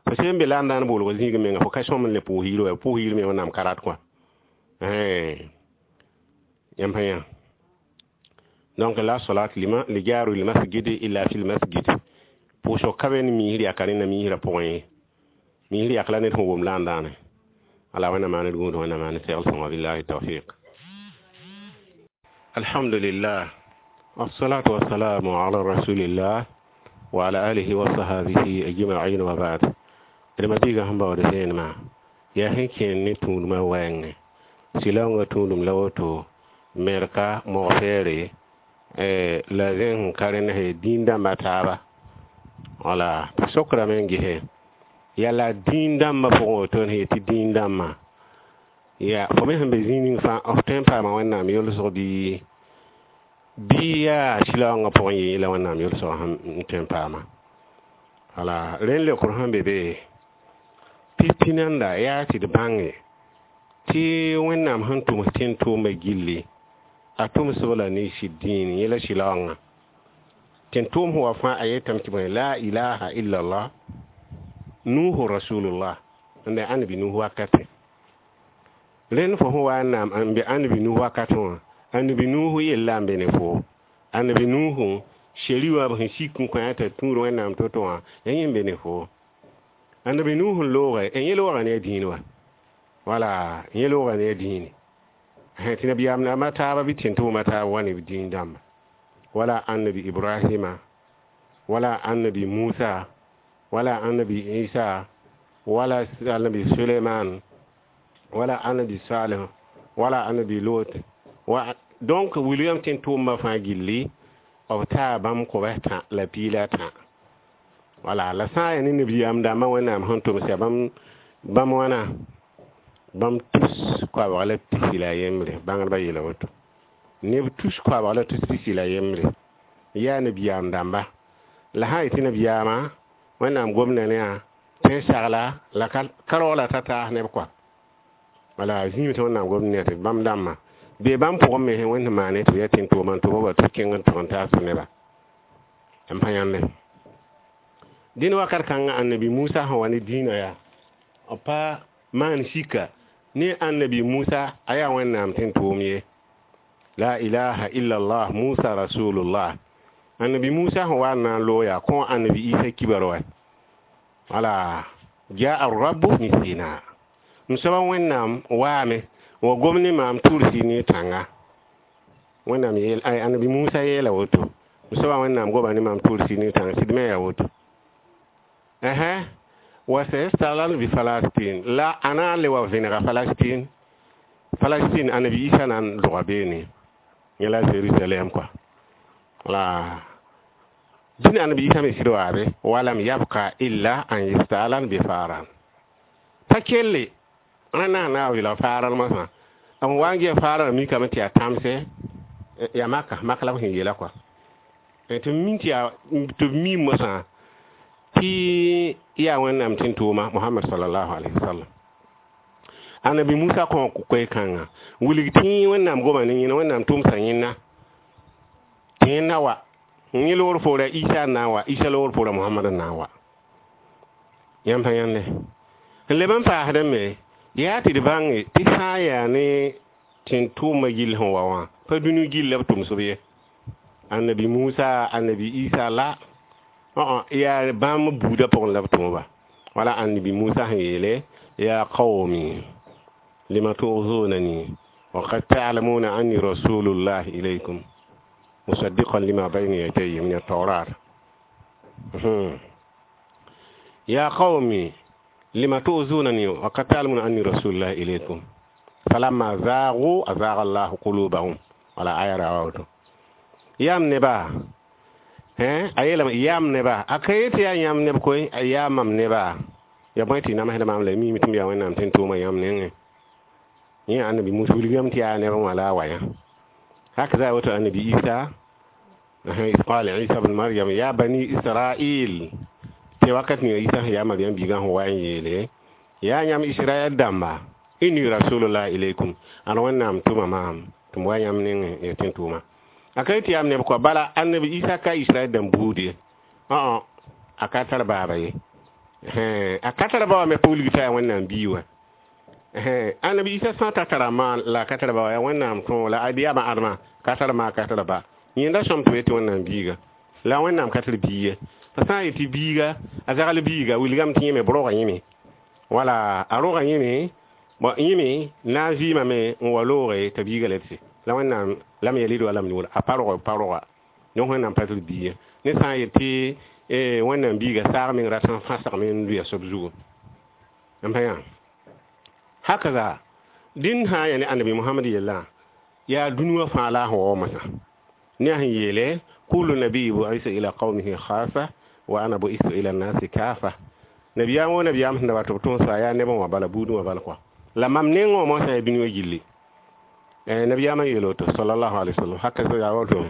fo sẽn be la n daan boolg zĩig menga fo ka sõm n le pʋʋs yir wa pʋʋs yir me wẽnnaam ka rat kɔa yãmb pa yã donc la salat lima li jaru lil masjid illa fil masjid pʋʋsg ka be ne miisr yaka rẽnna miisrã pʋgẽ ye miisr yak la ned sẽn wom la n daane ala wẽnnaam maan d gũud wẽnnaam maan segl sõnga billahi tawfiq alhamdulillah والصلاة والسلام على رسول الله وعلى آله وصحبه أجمعين وبعد لما بيغا هم باود سين ما يا هنكين ني تون ما وين سيلونغ تونum la woto merka mogfeere la zẽn ka rẽnd he dĩin-dãmbã taaba wala tɩ sokrame n gese yaa la dĩin-dãmbã pʋgẽ woto n yetɩ dĩin-dãmbã ya fo me sẽn be zĩig ning fãa f tõe n paama wẽnnaam yolsg bɩ bɩ yaa sɩlaoongã pʋgẽ yɩ la wẽnnaam yolsg sẽn tõe n paama wala rẽnd leokr sẽn be be tɩ nanda yaa tɩ d bãnge tɩ wẽnnaam sẽn tʋms tẽn-tʋʋmã gilli a tʋmsb la ne sɩd dĩin yẽ la sɩlaoongã tẽn-tʋʋm sẽn wa fãa a yetame tɩ bõe la ilaha illallah nuhu rasulullah n da ãnnabi nuh wakatẽ rẽnd fo sẽn wa n naam n be ãnnabi nuh wakatẽ wã ãnnabi nuh yella n be ne fo ãnnabi nuhu sheri wã b sẽn sik n kõ t'a tũud wẽnnaam to-to wã ya yẽ n be ne fo ãnnabi nuh n looge yẽ looga ne a dĩin wa wala yẽ looga ne a dĩine tɩ nabiyaam naamã taaba bɩ tẽn-tʋʋmã taaba wa ne dĩin dãmba wala annabi ibrahima wala annabi musa wala annabi isa wala annabi suleiman wala annabi salih wala annabi lot wa donc wilgame tẽn-tʋʋmã fãa gilli b taa bãmb kobs tã la piila tã wala la sã n yaa ne nabiyaam dãmbã wẽnnaam sẽn tʋms yaa bãmb bãmb wãna bãmb tus koabg la pisi la yembre bãngdbã yeela woto neb tus koabg la tus pisi la yembre yaa nabiyaam dãmba la sã n yetɩ nabiyaamã wẽnnaam gomda ne yaa tẽn sagla la ka raoola ta taas neb kɔa wala zĩig tɩ wẽnnaam gomd ne tɩ bãmb dãmbã bee bãmb pʋgẽ me wẽnd sẽn maane tɩ b yaa tẽn-tʋʋma n tʋm wa tɩ kẽng n tʋg n taas neba n pa yãmbe dẽnd wakat kãngã annabi Musa sẽn wa ne dĩinã yaa b pa maan sika ne annabi Musa a yaa wẽnnaam tẽn-tʋʋm ye la ilaha illallah Musa rasulullah annabi Musa sẽn wa n na n loog yaa kõ annabi Isa kibar wa wala jaa rabbu min sina m soaba wẽnnaam waame wa gom ne maam tʋʋr ne tãnga wẽnnaam yeel annabi Musa yeela woto m soaba wẽnnaam goba ne maam tʋʋr ne tãnga sɩd me yaa woto ɛhɛ wa sayastaglan bi falastin la ana le wa vẽnega falastin falastin annabi Isa na n dʋga beene yẽ la Jerusalem quoi la dĩn annabi Isa me sɩd waabe walam yabka illa an yastalan bi faran pa kelle rẽnda sẽn na n wɩlg faaral mosã b wa n gea faarã mikame tɩ yaa tãmse yaa maka mak la b sẽn yeela quoi Tɩ mi tɩ yaa tɩ b mi mosã tɩ yaa Wẽnnaam tɩ n tʋʋma Mohamad salallahu alayhi wa sallam. Annabi Musa kõ koe-kãngã wilg tɩ Wẽnnaam goma ne yẽna, Wẽnnaam tʋmsa yẽnna tɩ yẽnna wa yẽ loogr poora Isa n na n wa, Isa loogr poora Mohamad n na n wa. Yãmb pa yãnde n leb n paasdẽ me yaa tɩ d bãnge tɩ sã n yaa ne tɩ tʋʋmã gill sẽn wa wã pa dũni gill la b tʋms b ye. Annabi Musa, annabi Isa la yaa bãmb buudã pʋgẽ la b tʋmba. Wala annabi Musa sẽn yeele: ya qawmi lima tu'zunani wa qad ta'lamuna anni rasulullah ilaykum musaddiqan lima bayna yadayya min at-tawrat. Ya qawmi lima tu'zunani wa qad ta'lamuna anni rasulullah ilaykum falamma zaghu azagha Allahu qulubahum. Wala aya rawto yam neba hein a yeelame yam neba a ka yetɩ yaa yãmb neb koe, a yaa mam neba ya bõe tɩ namsda maam la miime tɩ m yaa Wẽnnaam tɩ n tʋʋma yãmb nengẽ. Yẽ annabi Musa wilgame tɩ yaa neb wã la a wa yã. Hakaza woto annabi Isa إذ قال عيسى بن مريم يا بني إسرائيل tɩ wakat ninga Isa sẽn yaa Mariam biigã sẽn wa n yeele yaa yãmb Israɛl dãmba inni rasulullah ilaykum ãn Wẽnnaam tʋma maam tɩ m wa yãmb nengẽ ya tɩ n tʋʋma. A ka yetɩ yaam neb kɔa bala annabi Isa ka Israɛl dãmb buud ye, õ a ka tar baaba ye, a ka tar ba wã me pa wilg t'a yaa Wẽnnaam bii wã. Annabi Isa sã n ta tara ma la a ka tar ba wa yaa Wẽnnaam tõog la ad yaa adma ka tar ma ka tar ba yẽnda sõm tɩ b yetɩ Wẽnnaam biiga la Wẽnnaam ka tar bii ye. Fa sã n yetɩ biiga a zagl biiga wilgame tɩ yẽme b roga yẽme wala a roga yẽme bon yẽme na n vɩɩmame n wa looge t'a biiga la tɩ la Wẽnnaam lam yalid wa lam yulad a pa rog pa roga donc Wẽnnaam pa tar bii ye. Ne sã n yetɩ Wẽnnaam biiga saag meng rat n fãsgame n lʋɩ a soab zugu n pa yã hakaza dĩn sã n yaa ne annabi Mohamad yellã yaa dũni wã fãa la a sẽn wa mosã ne a sẽn yeele kullu nabiyi bu'isa ila qawmihi khasa wa ana bu'istu ila nasi kafa. Nabiyaam wo nabiyaam sẽn da wa tɩ b tõosa yaa neb n wa bala buudẽ wã bala kɔa la mam nengẽ wã mosã yaa dũni wã gilli. Nabiyaamã yeel woto sallallahu alaihi wasallam haka yaa woto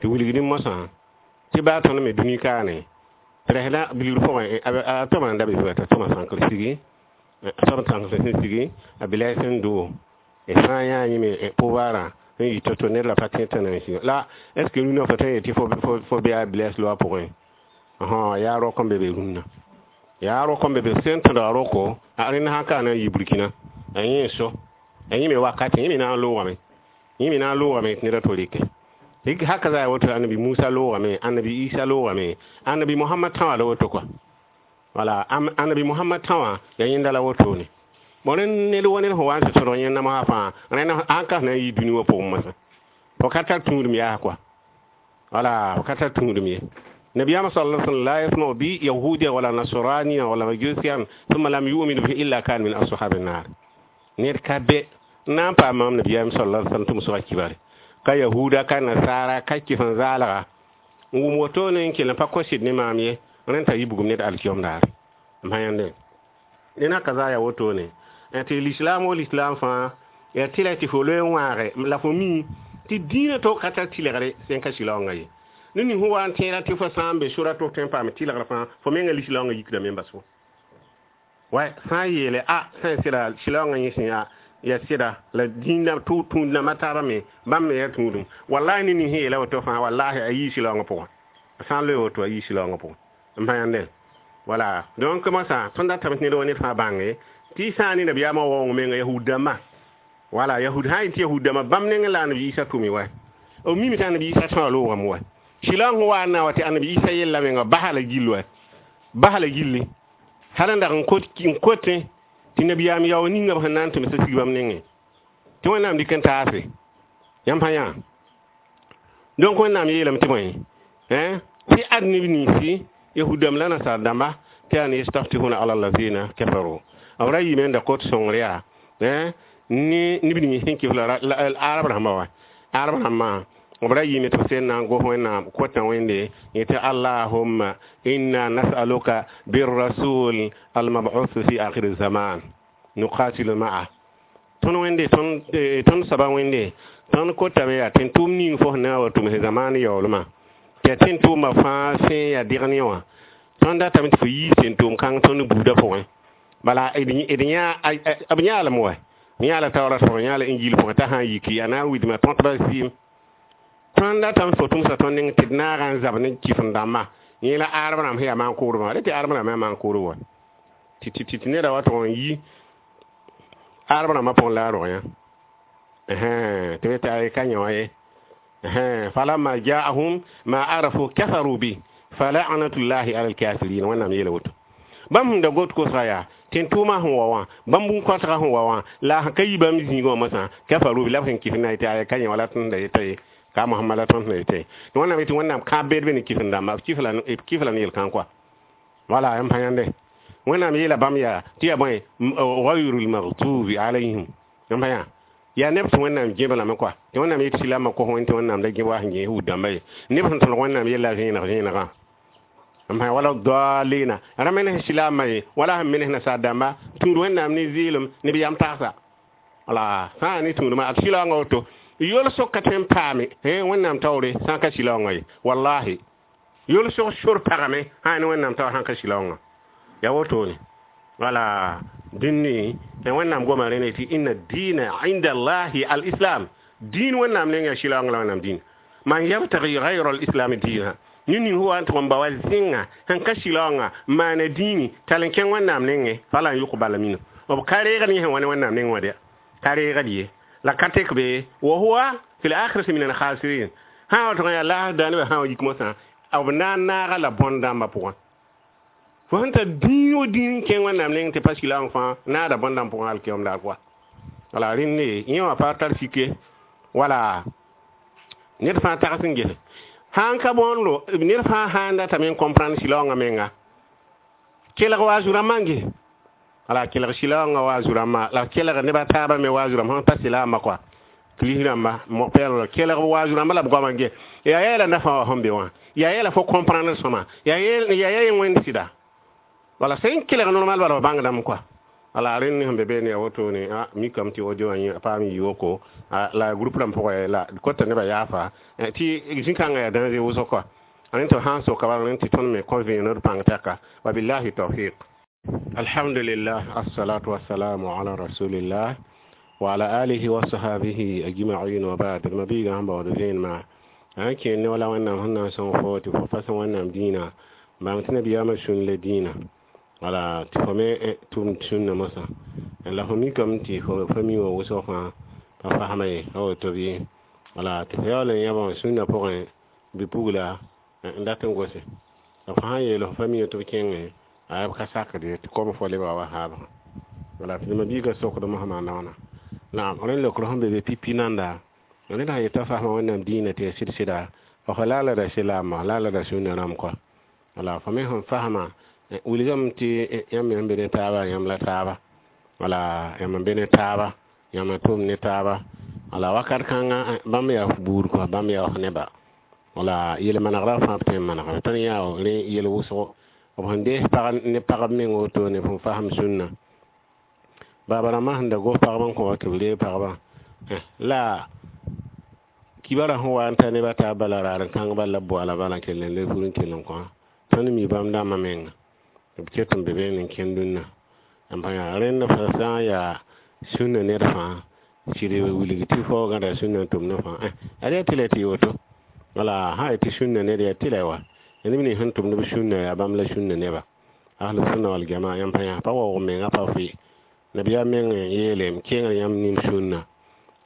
tɩ wilgdẽ mosã tɩ baa tõnd me dũni kaane tɩ bilgr pʋgẽ a tõma n da be t'a tõma sãnkr sigi soab sãnkr sẽn sigi a bilɛɛ sẽn doo sã n yaa yẽme pouvoirã n yɩ to-to ned la pa tẽ t'a na n sig la est ce que rũnã fo tõe n yetɩ fo bɩ a bilɛs loa pʋgẽ yaa rok n be be rũnnã yaa rok n be be sẽn tõdga roko a rẽnd sã n ka na n yɩ Burkina a yẽ so a yẽ me wakat yẽ me na n loogame yẽ me na n loogame tɩ ned a to rɩke haka za woto annabi Musa loogame annabi Isa loogame annabi Mohamad tã wã la woto kɔa wala annabi Mohamad tã wã yaa yẽnda la wotone bon rẽnd ned wa ned sẽn wa n tɩ tõdg yẽnda mosã fãa rẽnd sãn ka na n yɩ dũni wã pʋgẽ mosã fo ka tar tũudum yaa kɔa wala fo ka tar tũudum ye. Nabiyaama sallallahu alaihi wasallam la yasma'u bi yahudiya wala nasraniya wala majusiyan thumma lam yu'min bihi illa kana min ashabi an-nar. Ned ka be n na n paam mam nabiyaam sallallahu alaihi wasallam tɩ m sʋga kibare ka yahuda ka nasara ka kɩs n zaalga n wʋm wotone n kell n pa kosɩd ne maam ye rẽnd t'a yɩ bugum ned alkiyom daar m pa yãnde dẽna ka zaa yaa wotone tɩ l'islam wo l'islam fãa yaa tɩla tɩ fo loe n wãage la fo mi tɩ dĩinã to ka tar tɩlgre sẽn ka sɩlaoongã ye. Ned ning sẽn wa n tẽeda tɩ fo sã n be sora tɩ f tõe n paam tɩlgr fãa fo menga lislaoongã yikdame n bas fo wa sã n yeele a sã n sɩda sɩlaoongã yẽ sẽn yaa ya sɩda la dĩinã tũud-nãmbã taabã me bãmb me yaa tũudum wallahi ned ning sẽn yeela woto fãa wallahi a yii sɩlaoongã pʋgẽ a sã n loe woto a yii sɩlaoongã pʋgẽ n pa yãnde wala donc mosã tõnd datame tɩ ned wa ned fãa bãnge tɩ sã n ne nabiyaamã waoong menga yahud dãmbã wala yahud sã n yetɩ yahud dãmbã bãmb nengẽ la annabi Isa tʋme wa b mime tɩ annabi Isa tõa loogame wa sɩlaoong sẽn wa n na wa tɩ annabi Isa yella menga basa la gill wa basa la gilli hal n dag n kotẽ tɩ nabiyaam yao ninga b sẽn na n tʋmsa sig bãmb nengẽ tɩ Wẽnnaam dɩk n taase yãmb pa yã donc Wẽnnaam yeelame tɩ bõe tɩ ad neb ninsi yahud dãmb la nasaar dãmba tɩ yaa ne yastaftihuna ala allazina kafaru b ra yiime n da kot sõngr yaa ne neb ning sẽn kɩf la arab rãmba wa arab rãmbã b ra yiime tɩ b sẽn na n gos Wẽnnaam kotã Wẽnde yetɩ allahumma inna nas'aluka birrasul almab'uth fi akhir zaman nuqatilu ma'a tõnd Wẽnde tõnd soaba Wẽnde tõnd kotame yaa tɩ tʋʋm ning fo sẽn na n wa tʋms zamaan yaoolmã Tɩ tẽn-tʋʋmã fãa sẽn yaa degn yẽ wã tõnd datame tɩ fo yiis tẽn-tʋʋm kãng tõnd buudã pʋgẽ bala d yã b yãalem wa yãala taoora pʋgẽ yãala injil pʋgẽ t'a sã n yiki a na n wilgma tõtbã zɩɩm tõnd datame tɩ fo tʋmsa tõnd neng tɩ d naaga n zab ne kɩf-n-dãmbã yẽ la arab rãmb sẽn yaa maan-kʋʋdbã rẽ tɩ arab rãmb yaa maan-kʋʋdb wa tɩ tɩ tɩ neda wa tʋg n yi arab rãmbã pʋgẽ la a rog yã tɩ be tɩ ka yẽ wã ye falamma jaahum ma arafu kafaru bi fala'natullahi ala alkafirin wẽnnaam yeela woto bãmb sẽn da got kosga yaa tẽn-tʋʋmã sẽn wa wã bãmb bũn-kõtgã sẽn wa wã la sẽn ka yi bãmb zĩigã wã mosã kafaru bi la b sẽn kɩf na yetɩ ka yẽ wala tõnd da yeta ye ka Mohamad la tõnd da yeta ye tɩ wẽnnaam yetɩ wẽnnaam kãab beed be ne kɩf-n-dãmba b kɩf la ne yel-kãng kɔa wala m pa yãnde wẽnnaam yeela bãmb yaa tɩ yaa bõe gayru lmagdubi alayhim m pa yã yaa neb tɩ wẽnnaam gẽb lame kɔa tɩ wẽnnaam yet silama kos wẽn tɩ wẽnnaam da gẽb wa sẽn gẽes wud-dãmba ye neb sẽn tõlg wẽnnaam yella vẽeneg vẽenegã m pa wala dalina ra menes silama ye wala sẽn menes nasaar dãmba tũud wẽnnaam ne zɩɩlem ne b yam tagsa wala sã n ne tũudmã ad silaoongã woto yol-sog ka tõe n paame wẽnnaam taoore sã n ka silaoongã ye wallahi yol-sog sor pagame sã ne wẽnnaam taoor sã n ka silaoongã yaa wotone wala dĩnni wẽnnaam goma rẽne tɩ inna dina inda allahi al-islam dĩin wẽnnaam neng yaa silaoongã la wẽnnaam dĩin man yabtagi gayra al-islam diina ned ning sẽn wa n tʋg n ba wa zẽnga sẽn ka silaoongã n maana dĩini tall n kẽng wẽnnaam nengẽ falan yʋqbala minu b ka reegd yẽ sẽn wa ne wẽnnaam neng wã dɛ ka reegd ye la ka tek be wa huwa fi l-akhirati min al-khasirin sã wa tʋg n yaa laas da nebã sã wa yik mosã b na n naaga la bõn-dãmbã pʋgẽ fo sẽn tar dĩin wo dĩin n kẽng wẽnnaam neng tɩ pa silaoong fãa naada bõn-dãmb pʋgẽ alkiyom daar pʋga wala rẽnde yẽ wã pa tar sike wala ned fãa tags n gese sãn ka bõondo ned fãa sã n datame n comprendre silaoongã menga kelg wa zu-rãmbã n ges wala kelg silaoongã wa zu-rãmbã la kelg neb a taabã me wa zu-rãmb sẽn pa silaambã kɔa kirist rãmba mog-pɛɛl kelg wa zu-rãmbã la b goamã n ges yaa yɛɛla nafã wa sẽn be wã yaa yɛɛla fo comprendre sõma yaa yaa wẽnd sɩda wala sẽn kelg normal bala f bãngdame kɔa wala rẽnd sẽn be beene yaa wotone a mikame tɩ audio wã yẽ paam yɩ woko la groupe rãmb pʋgẽ la kota nebã yaafa tɩ zĩ-kãngã yaa danger wʋsg kɔa rẽnd tɩ sã n soka bala rẽnd tɩ tõnd me kõ vẽened pãng tɛka wabillahi tawfiq alhamdulillah assalatu wassalamu ala rasulillah wa ala alihi wa sahabihi ajma'in wa ba'd mabiga sẽn baood vẽenemã n kẽer ne wala wẽnnaam sẽn na n sõng fo tɩ fo pa sẽn wẽnnaam dĩinã bãng tɩ nabiyaamã sũn la dĩinã wala tɩ fo me tʋmd sũnna mosã la fo mikame tɩ fo fa mi wã wʋsg fãa pa fasma ye a woto bɩ wala tɩ fo yaool n yãbã sũnna pʋgẽ bɩ-pugla n dat n gose la fo sã n yeel fo fa mi tɩ b kẽngẽ a b ka sakd ye tɩ kom fo lebga wa haabã wala tɩ mabiigã sokd mosã maanda wãna naam rẽnd leokr sẽn be be pipi nanda ned sã yeta fasma wẽnnaam dĩinã tɩ yaa sɩd-sɩda fa laala ra silaamã laala ra sũnna rãmb kɔa wala fo me sẽn fasma wilgame tɩ yãmb me sẽn be ne taaba yãmb la taaba wala yãmb n be ne taaba yãmb n tʋm ne taaba wala wakat kãngã bãmb yaa f buud kɔa bãmb yaa f neba wala yel-manegrã fãa b tõe n manegame tõnd yaa rẽ yel wʋsgo b sẽn dees pag ne pagb meng wotone fõn fasem sũnna baaba rãmbã sẽn da gos pagb n kõ tɩ b reeg pagba la kibara sẽn wa n ta neba taab bala raar n kãng bala b boala bala n kell n le fur n kell n kõ tõnd mi bãmb dãmbã menga b ket n be beene n kẽnd dũnna n pa yaa rẽnd fa sã n yaa sũnna ned fãa sɩd wilg tɩ fo gãda sũnna n tʋmd fãa ad yaa tɩ la tɩ woto wala sã tɩ sũnna ned yaa tɩ la wa neb nins sẽn tʋmd b sũnna yaa bãmb la sũnna neba ahlu sunna wal jamaa yãmb pa yã pa waoog menga pa fɩ nabiyaam meng n yeele m kẽengr yãmb nin sũnna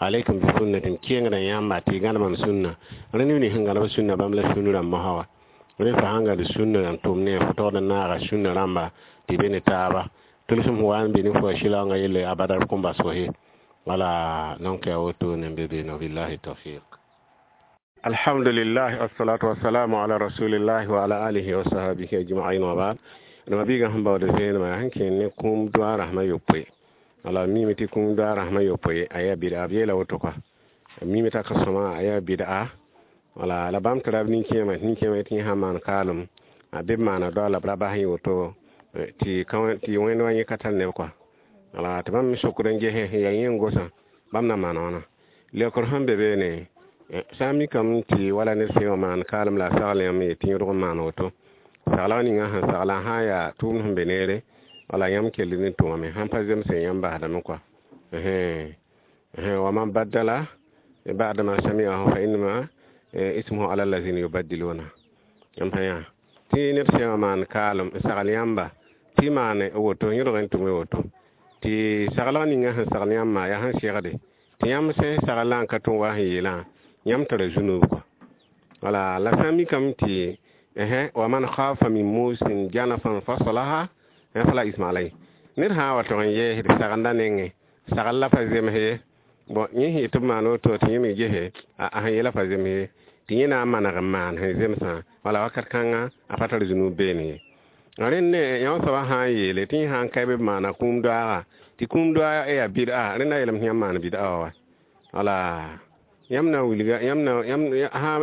alaikum bi sunnatin kẽengrã yãmba tɩ y gãd mam sũnna rẽ neb nins sẽn gãd b sũnna bãmb la sũn rãmb mosã wa rẽ fa sãn gãd sũnna n tʋm ne fo togd n naaga sũnna rãmba tɩ be ne taaba tʋlsem wa n be ne fo a silaoongã yelle abada b kõn bas fo ye wala donc yaa wotone n be beene billahi tawfiq alhamdulillah assalatu wassalamu ala rasulillah wa ala alihi wa sahbihi ajma'in wa ba'd ma biiga sẽn baood vẽenemã sẽn kẽer ne kũum doa rasmã yopoe wala mime tɩ kũum doa rasmã yopoe a yaa bɩda b yeela woto kɔa mime t'a ka sõma a yaa bɩda wala la bãmb tɩ rab nin-kẽemã tɩ nin-kẽemã tɩ yẽ sã n maan kaalem a be b maana doa la b ra bas yẽ woto tɩ tɩ wẽnd wa yẽ ka tar neb kɔa wala tɩ bãmb me sokd n gese yaa yẽ n gosã bãmb na maan wãna leokr sẽn be beene Sã n mikame tɩ wala ned sẽn wa maan kaalem la a sagl yãmb ye tɩ yõdg n maan woto saglg ninga sẽn saglã sã n yaa tʋʋmd sẽn be neere wala yãmb kell n tʋmame sãn pa zemse yãmb basdame kɔa wa man baddala ba'da ma sami'ahu fa innama ismuhu ala allazina yubaddiluna yãmb pa yã tɩ ned sẽn wa maan kaalem n sagl yãmba tɩ maan woto yõdg n tʋme woto tɩ saglg ninga sẽn sagl yãmbã yaa sẽn segde tɩ yãmb sẽn saglã n ka tʋm wa sẽn yeelã yãmb tara zunub kɔa wala la sã n mikame tɩ wa man khafa min musin janafan fasalaha fala isma alay ned sã n wa tog n yeesd sagenda nengẽ sagl la pa zems ye bon yẽ sẽn yet tɩ b maan woto tɩ yẽ me gese a sẽn yeela pa zems ye tɩ yẽ na n maneg n maan sẽn zemsã wala wakat kãngã a pa tar zunub beene ye rẽnd yã soabã sã n yeele tɩ yẽ sã n ka b maana kũum doaaga tɩ kũum doaag yaa bɩd'a rẽnda yeelame tɩ yãmb maan bɩd'a wa wa wala yãmb na n wilga yãmb na yãmb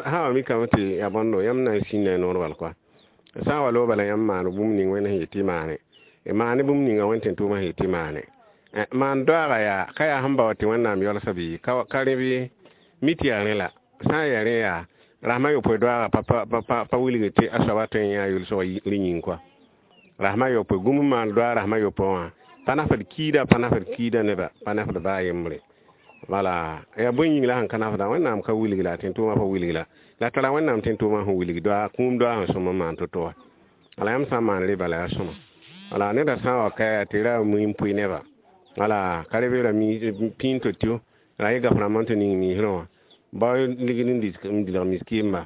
sã wa mikame tɩ yaa bõndo yãmb na n sĩnda noor bal kɔa sã n wa loog bala yãmb maan bũmb ning wẽnd sẽn yet tɩ maane maane bũmb ninga wẽnd tɩ tʋʋmã sẽn yet tɩ maane maan doaaga yaa ka yaa sẽn bao tɩ wẽnnaam yalsã bɩ ka rẽ bɩ mi tɩ yaa rẽ la sã n yaa rẽ yaa rasmã yopoe doaaga pa pa wilg tɩ a soaba tõe n yã yʋlsg rẽ yĩng kɔa rasmã yopoe gũm n maan doaag rasmã yopoe wã pa nafd kiida pa nafd kiida neba pa nafd baa yembre wala yaa bõe yĩng la sẽn ka nafda wẽnnaam ka wilg la tɩ tʋʋmã pa wilg la la tara wẽnnaam tɩ tʋʋmã sẽn wilg doaag kũum doaag sẽn sõm n maan to-to wa wala yãmb sã n maan rẽ bala yaa sõma wala neda sã n wa ka yaa tɩ ra mui n pʋɩ neba wala ka re ra pĩin to-tɩ ra yẽ gaf rãmbã n tɩ ning miisrẽ wã bao ligd n dilg miskiimba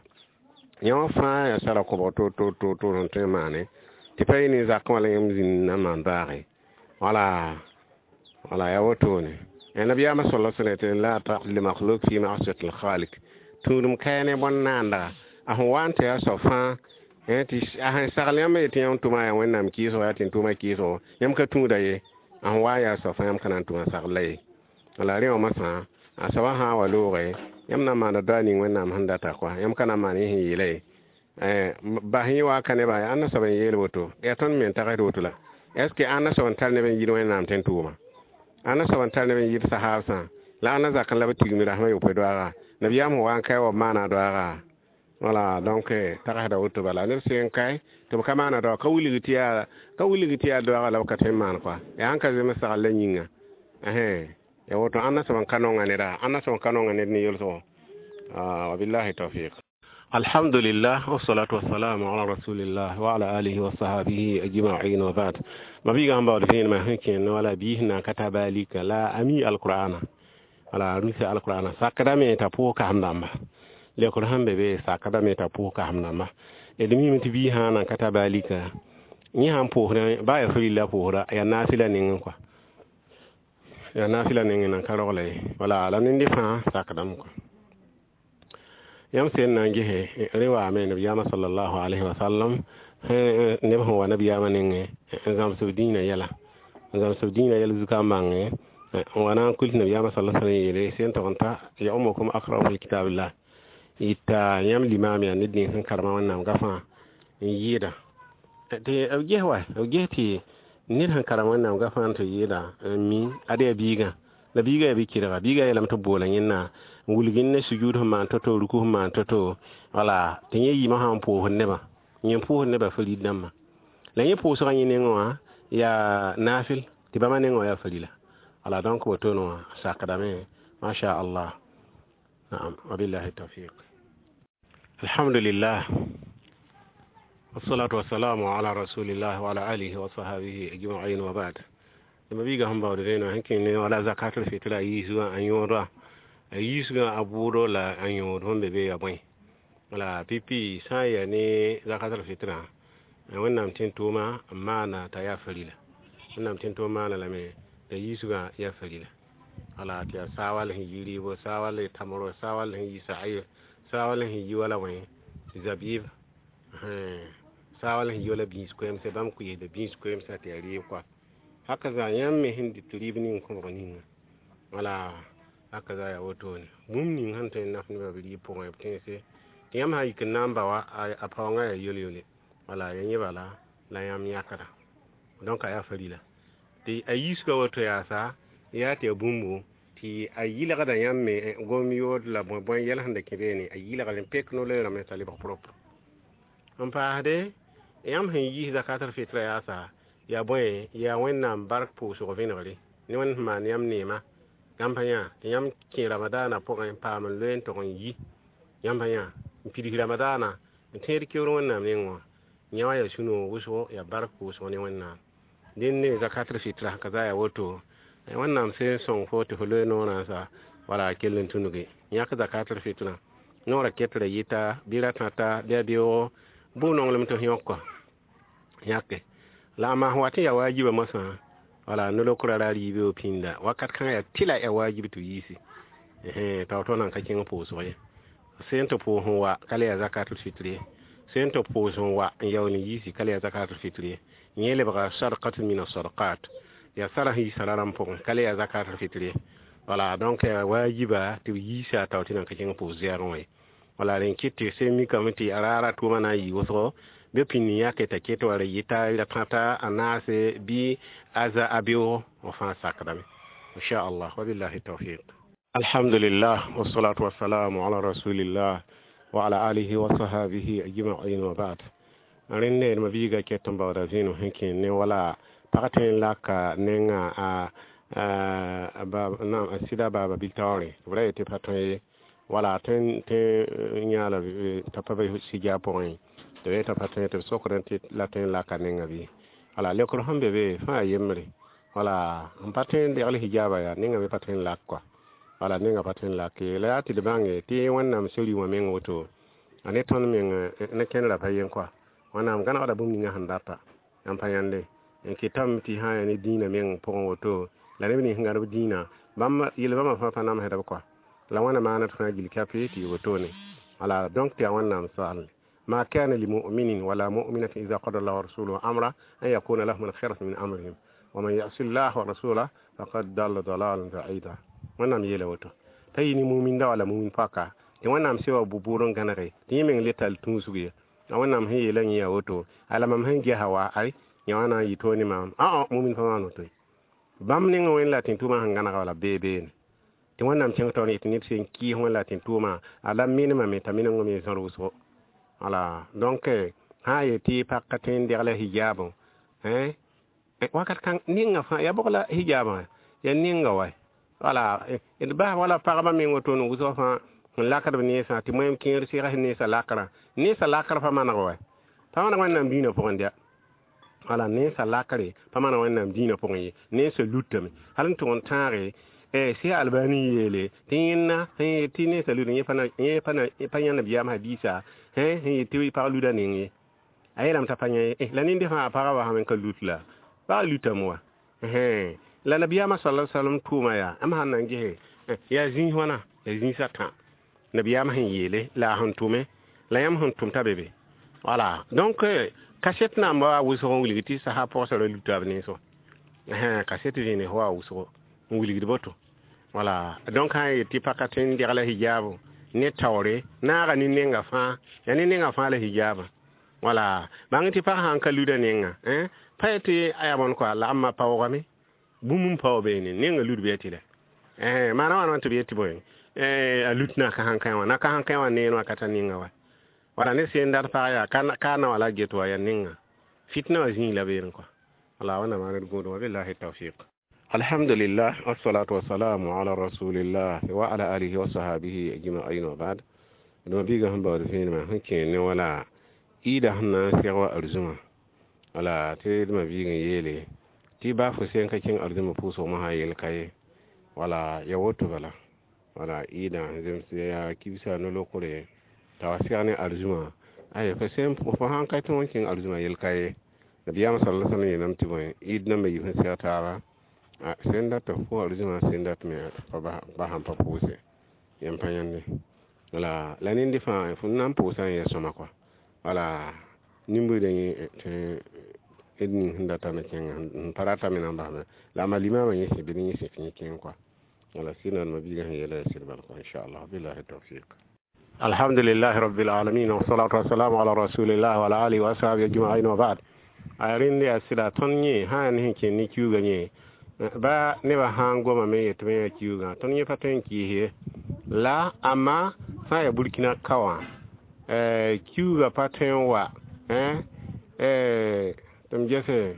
yã wã fãa yaa sara kobg to-to-to sẽn tõe n maane tɩ pa yɩ ne zakẽ wala yãmb zĩnd na n maan doaage wala wala yaa wotone nabiyaamã sala sallam tɩ la ta'at li makhluk fi ma'siyati al-khaliq tũudum kaya ne bõn-naanda a sẽn wa n tɩ yaa soab fãa tɩ a sẽn sagl yãmb yetɩ yãmb tʋma yaa wẽnnaam kɩɩsgo yaa tɩ tʋʋmã kɩɩsgo yãmb ka tũuda ye a sẽn wa n yaa soab fãa yãmb ka na n tʋma sagl ye wala rẽ wã masã a soabã sã n wa looge yãmb na n maanda doa ning wẽnnaam sẽn data kɔa yãmb ka na n maan yẽ sẽn yeela ye bas yẽ wa ka nebã yaa ãnna soab n yeel woto yaa tõnd me n tagsd woto la est ce que ãnna soab n tar neb n yɩl wẽnnaam tɩ n tʋʋma ãnna soab n tar neb n yɩl sahaabsã la ãnna zakẽ la b tigimd rasmã yopoe doaaga nabiyaam sẽn wa n kae wa b maana doaaga wala donc tagsda woto bala neb sẽn kae tɩ b ka maana doaag ka wilg tɩ yaa ka wilg tɩ yaa doaaga la b ka tõe n maan kɔa yaa sẽn ka zems sagl la yĩnga ya woto ãnna soab n ka nonga neda ãnna soab n ka nonga ned ne yelsgo wabillahi tawfiq alhamdulillah wassalatu wassalamu ala rasulillah wa ala alihi wa sahabihi ajma'in wa ba'd mabiga han bawde fenma sẽn kẽnd wala biis na ka ta baalika la a mi alqur'ana wala rusa alqur'ana sakdame t'a pʋʋs kasem dãmba lekr sẽn be be sakdame t'a pʋʋs kasem dãmba d mime tɩ bii sã nan ka ta baalika yẽ sãn pʋʋsdã baa yaa farilla pʋʋsda yaa naafɩla nengẽ kɔa yaa naafɩla nengẽ nan ka rogla ye wala la nende fãa sakdame kɔa yãmb sẽn na n gese rẽ waame nabiyaamã sallallahu alaihi wa sallam neb sẽn wa nabiyaamã nengẽ n zãms b dĩinã yɛla n zãms b dĩinã yɛl zuka n bãnge n wa na n kuls nabiyaamã sala sallam yeele sẽn tog n ta ya umukum aqra'ukum li kitabillah yita yãmb limaam yaa ned ning sẽn karema wẽnnaam gafã n yɩɩda tɩ b ges wa b ges tɩ ned sẽn karem wẽnnaam gafã n tɩ yɩɩda n mi ad yaa biigã la biigã yaa bi-kɩdga biigã yeelame tɩ b boola yẽnna n wilg ne sujud sẽn maan to-to ruku sẽn maan to-to wala tɩ yẽ yɩɩmã sã n pʋʋsd nebã yẽ pʋʋsd nebã farid dãmbã la yẽ pʋʋsgã yẽ nengẽ wã yaa naafɩl tɩ bãmba nengẽ wã yaa farila wala donc wotone wã sakdame masha allah naam wabillahi tawfiq alhamdulillah wassalatu wassalamu ala rasulillah wa ala alihi wa sahabihi ajma'in wa ba'd ma biga sẽn baood vẽenã sẽn kẽng ne wala zakatul fitra a yiisgã a yõoda a yiisgã a bʋʋdo la a yõod sẽn be be yaa bõe wala pipi sã n yaa ne zakatul fitra wẽnnaam tẽn tʋʋma n maana t'a yaa farila wẽnnaam tẽn tʋʋm maana lame t'a yiisgã yaa farila wala tɩ yaa saawal sẽn yi rɩɩbo saawal tamro saawal sẽn yi sa'ir saawal sẽn yi wala bõe zabib saawal sẽn yi wala bĩis koɛɛmsã bãmb kʋɩɩsda bĩis koɛɛmsã tɩ yaa rɩɩb kɔa haka zã yãmb me sẽn dɩt rɩɩb ning kõbg ninga wala haka zã yaa wotone bũmb ning sẽn tõe n naf nebã b rɩɩb pʋgẽ b tẽnse tɩ yãmb sã n yik n na n ba wa a paoongã yaa yel-yele wala ya yẽ bala la yãmb yãkda donc a yaa farila tɩ a yiisgã woto yaasa yaa tɩ yaa bũmbu tɩ Tɩ a yɩlgda yãmb me gom yood la bõe bõe yɛl sẽn da kẽ beene a yɩlgre n pek no-loeerame t'a lebg propre n paasde yãmb sẽn yiis zakatal fitra yaasa yaa bõe yaa Wẽnnaam bark pʋʋsg vẽnegre ne Wẽnd sẽn maan yãmb neema yãmb pa yã tɩ yãmb kẽ ramadaana pʋgẽ n paam n loe n tog n yi yãmb pa yã n pids ramadaana n tẽed keoor Wẽnnaam nengẽ wã yã wã yaa sũ-noog wʋsgo yaa bark pʋʋsg ne Wẽnnaam dẽnde zakatal fitra ka za yaa woto Wẽnnaam sẽn sõng fo tɩ fo loe noorã sa wala a kell n tũnuge yãk zakatal fitra noorã ketra yɩta bɩ ra-tãta bɩ a beoogo bʋ-nonglem tɩ f yõk kɔ yãke la a maa sẽn wat n yaa waajiba mosã wala no-lokrã ra riibe pĩnda wakat kãngã yaa tɩla yaa waajib tɩ yiisi t'a woto nan ka kẽng pʋʋsg ye sẽn tɩ pʋʋs n wa ka le yaa zakatul fitr ye sẽn tɩ pʋʋs n wa n yaool n yiisi ka le yaa zakatul fitr ye yẽ lebga sadqatun min asadqat yaa sara sẽn yiisã rarãmb pʋgẽ ka le yaa zakatul fitr ye wala donc yaa waajiba tɩ b yiisa tao tɩ nan ka kẽng pʋʋs zɛɛgẽ wã ye wala rẽn kɩt tɩ sẽn mikame tɩ a raara tʋʋmã na n yɩ wʋsgo bɩ pĩnd yãke t'a ket wala yɩta ra-tãta a naase bɩ a za a beoogo f fãa sakdame inchallah wabillahi tawfiq. Alhamdulillah wassalatu wassalamu ala rasulillah wa ala alihi wa sahabihi ajma'in wa ba'd. Rẽnd ma biiga ket n baooda zẽnem sẽn kẽ ne wala pag tõe n laka nenga a a sɩda baaba bil taoore tɩ b ra yetɩ pa tõe ye wala tõe tɩ yãala t'a pa be sɩja pʋgẽ tɩ b yeta pa tõe tɩ b sokdẽ tɩ la tõe n laka nenga bɩ wala lekr sẽn be be fãa yembre wala n pa tõe n degl hijaaba yaa nenga me pa tõe n lak kɔa wala nenga pa tõe n lak ye la yaa tɩ d bãnge tɩ Wẽnnaam sori wã meng woto a ne tõnd meng ne kẽndra pa yen kɔa Wẽnnaam gãnegda bũmb ninga sẽn data yãmb pa yãnde n kɩtame tɩ sã yaa ne dĩinã meng pʋgẽ woto la neb nins sẽn gãd b dĩinã bãmb yel-bãmba fãa pa namsda b kɔa la wãna maana tɩ fãa gill kape tɩ yɩ wotone wala donc tɩ yaa Wẽnnaam soalle ما كان لمؤمن ولا مؤمنة إذا قضى الله ورسوله أمرا أن يكون لهم الخيرة من أمرهم ومن يعص الله ورسوله فقد ضل ضلالا بعيدا. Wẽnnaam yeela woto t'a yɩ ne muminda wala mumin paka tɩ Wẽnnaam sewa bu-bʋʋd n gãnege tɩ yẽ meng le tall tũusg ye a Wẽnnaam sẽn yeela yẽ yaa woto ala mam sẽn gesa wa ay yã wã na n yɩ toog ne maam ã mumin pa maan woto ye bãmb nengẽ Wẽnd la tẽn-tʋʋmã sẽn gãnega wala bee beene tɩ Wẽnnaam kẽng taoor n yetɩ neb sẽn kɩɩs Wẽnd la tẽn-tʋʋmã a la menemame t'a meneng me zãr wʋsgo wala donc sã n yetɩ pag ka tõe n degla hijaabõ wakat kãng ninga fãa yaa bʋg la hijaabã yaa ninga wa wala d bas wala pagba meng wotone wʋsg fãa sẽn lakd b nensã tɩ moẽm kẽer sɩgs nensã lakrã nensã lakr pa maneg wa pa maneg Wẽnnaam dĩinã pʋgẽ dɩa wala nensã lakre pa maneg Wẽnnaam dĩinã pʋgẽ ye nensã lutame hal n tʋg n tãage sɩ Albani yeele tɩ yẽnna sẽn yet tɩ nensã luda yẽ pa yã nabiyaam hadiisa sẽn yet tɩ pag luda neng ye a yeelame t'a pa yã ye la nende fãa pagã wa sãm n ka lut la pag lutame wa la nabiyaamã sala sallam tʋʋma yaa m sãn na n gese yaa zĩis wãna yaa zĩisã tã nabiyaamã sẽn yeele la a sẽn tʋme la yãmb sẽn tʋm t'a be be wala donc kaset naamba wa wʋsg n wilg tɩ sasa pɔgsã ra luta b nens wã kaset zĩne wa wʋsgo n wilgd boto wala donc sã n yet tɩ paka tõe n degla hijaabo ne taoore naaga ne nenga fãa yaa ne nenga fãa la hijaabã wala bãng tɩ pag sã n ka luda nenga pa yetɩ a yaa bõn kɔa la ãmba paoogame bũmb n pao beene nenga lud bɩ tɩ la maana wãna tɩ b yetɩ bõe a lut na ka sãn kã wã na ka sãn kã wã neen wã ka ta ninga wa wala ne sẽn dat pag yaa ka na wala get wa yaa ninga fitna wã zĩig la beene kɔa wala wẽnnaam maan d gũudum wabillahi tawfiq. Alhamdulillah wassalatu wassalamu ala rasulillah wa ala alihi wa sahabihi ajma'in wa ba'd. D ma biiga sẽn baood vẽenemã sẽn kẽ ne wala ɩɩda sẽn na n seg wa arzũmã wala tɩ d ma biig n yeele tɩ baa fo sẽn ka kẽng arzũmã pʋʋsg mosã yel ka ye wala ya woto bala wala ɩɩda zems yaa kibsa no-lokre t'a wa seg ne arzũmã ay fo sẽn fo sãn ka tõog n kẽng arzũmã yel ka ye nabiyaamã sala sallam yeelame tɩ bõe ɩɩd nambã yib sẽn seg taaba sẽn dat fo arzũmã sẽn dat me pa sãn pa pʋʋse yãmb pa yãnde wala la nende fãa fo na n pʋʋsã n yaa sõma kɔa wala nin-buiidã yẽ tɩ d ning sẽn datame kẽnga n pa ratame na n basme la a limaamã yẽ sẽ bɩ yẽ sẽ tɩ yẽ kẽng kɔa wala sɩd ma biigã sẽn yeela yaa sɩd bal kɔa inchallah billahi tawfiq. Alhamdulillahi rabbil alamin wassalatu wassalamu ala rasulillah wa ala alihi wa ashabihi ajma'in wa ba'd. A rẽnd yaa sɩda tõnd yẽ sã yaa ne sẽn kẽnd ne kiuugã yẽ Ba nebã sã n gomame yetɩ b yã kiuugã tõnd yẽ pa tõe n kɩɩs ye la amma sã n yaa Burkina ka wã kiuugã pa tõe n wa tɩ m gese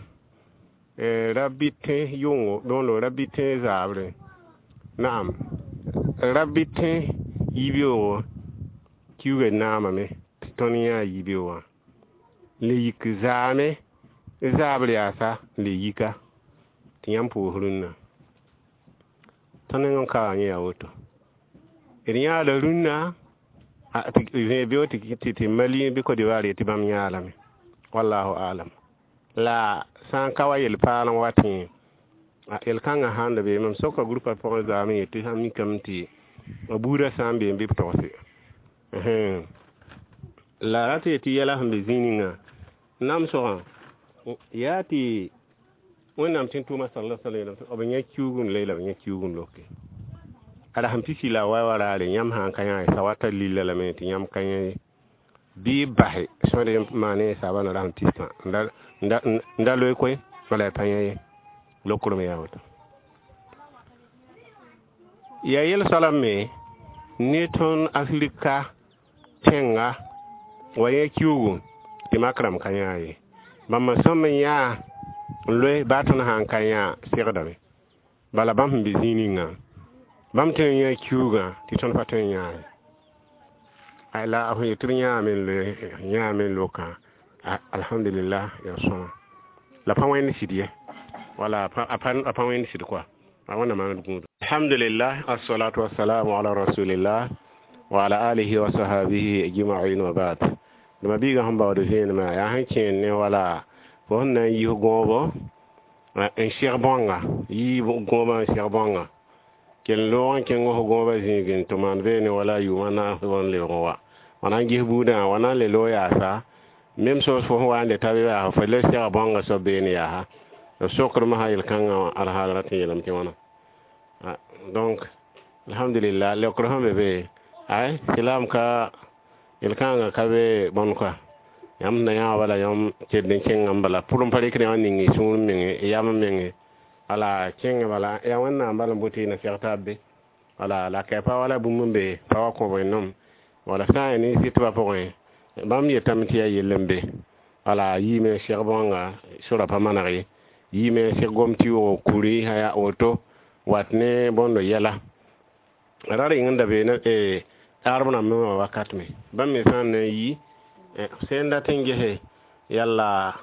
rabbi tẽ yʋngo bõndo rabbi tẽ zaabre naam rabbi tẽ yibeoogo kiuugã naamame tɩ tõnd yã yibeoogã le yik zaame zabr yaasa n le yika tɩ yãmb pʋʋs rũnnã tõnd neng n ka wã yẽ yaa woto d yãada rũnnã zẽeg beoog tɩ Mali bɩ Côte d'Ivoire yetɩ bãmb yãa lame wallahu alam la sã n ka wa yel-paal n wat yẽ yel-kãngã sãn da be mam soka groupa pʋgẽ zaame yetɩ sã mikame tɩ buudã sã n be n bɩ b togse la rat yetɩ yɛla sẽn be zĩig ninga namsgã yaa tɩ Wẽnnaam tẽn-tʋʋma sala sallam b yã kiuug n loe la b yã kiuug n loke ala sẽn pisi la a wa wa raare yãmb sã n ka yã sawata lilla lame tɩ yãmb ka yã ye bɩ b base sõd n maan ne saabã na ra sẽn pistã n da loe koe wala y pa yã ye lokrem yaa woto yaa yel soalã me ne tõnd Afrika tẽnga wa yã kiuugu tɩ mak rãmb ka yã ye bãmb sõm n yã n loe baa tõnd sã n ka yã segdame bala bãmb sẽn be zĩig ninga bãmb tõe n yã kiuugã tɩ tõnd pa tõe n yã ye la f yetɩ b yãame n loe yãame n lokã alhamdulillah yaa sõma la pa wẽnd sɩd ye wala a pa wẽnd sɩd koa a wẽnnaam maan d gũudum alhamdulillah assalatu wassalamu ala rasulillah wa ala alihi wa sahabihi ajma'in wa ba'd dama biiga sẽn baood vẽenemã yaa sẽn kẽer ne wala fo sẽn na n yis gõobo n seg bãnga yii gõobã n seg bãnga kell loog n kẽng f gõobã zĩig n tɩ maan beene wala yʋʋmã naas n lebg n wa wa na n ges buudã wa na n le loog yaasa même chose fo sẽn wa n le ta be yaa fo le sega bãnga soab beene yaasa b sokr masã yel-kãngã alhaal rat n yeelame tɩ wãna donc alhamdulillah leokr sẽn be be ay silam ka yel-kãngã ka be bõn koa yãmb na yã bala yãmb ked n kẽngã n bala pʋr n pa rɩkd yã ning y sũur menge yam menge wala kẽngã bala yaa wẽnnaam bala n bʋ tɩ na seg taab be wala la ka pa wala bũmb n be pa wa kõ wẽnnaam wala sã n yaa ne sɩtbã pʋgẽ bãmb yetame tɩ yaa yell n be wala yiime seg bãnga sora pa maneg ye yiime seg gom tɩ yoog kuri yaa woto wat ne bõndo yɛla ra rɩng n da be arab rãmb wã wakat me bãmb me sã n na n yi sẽn dat n gese yalla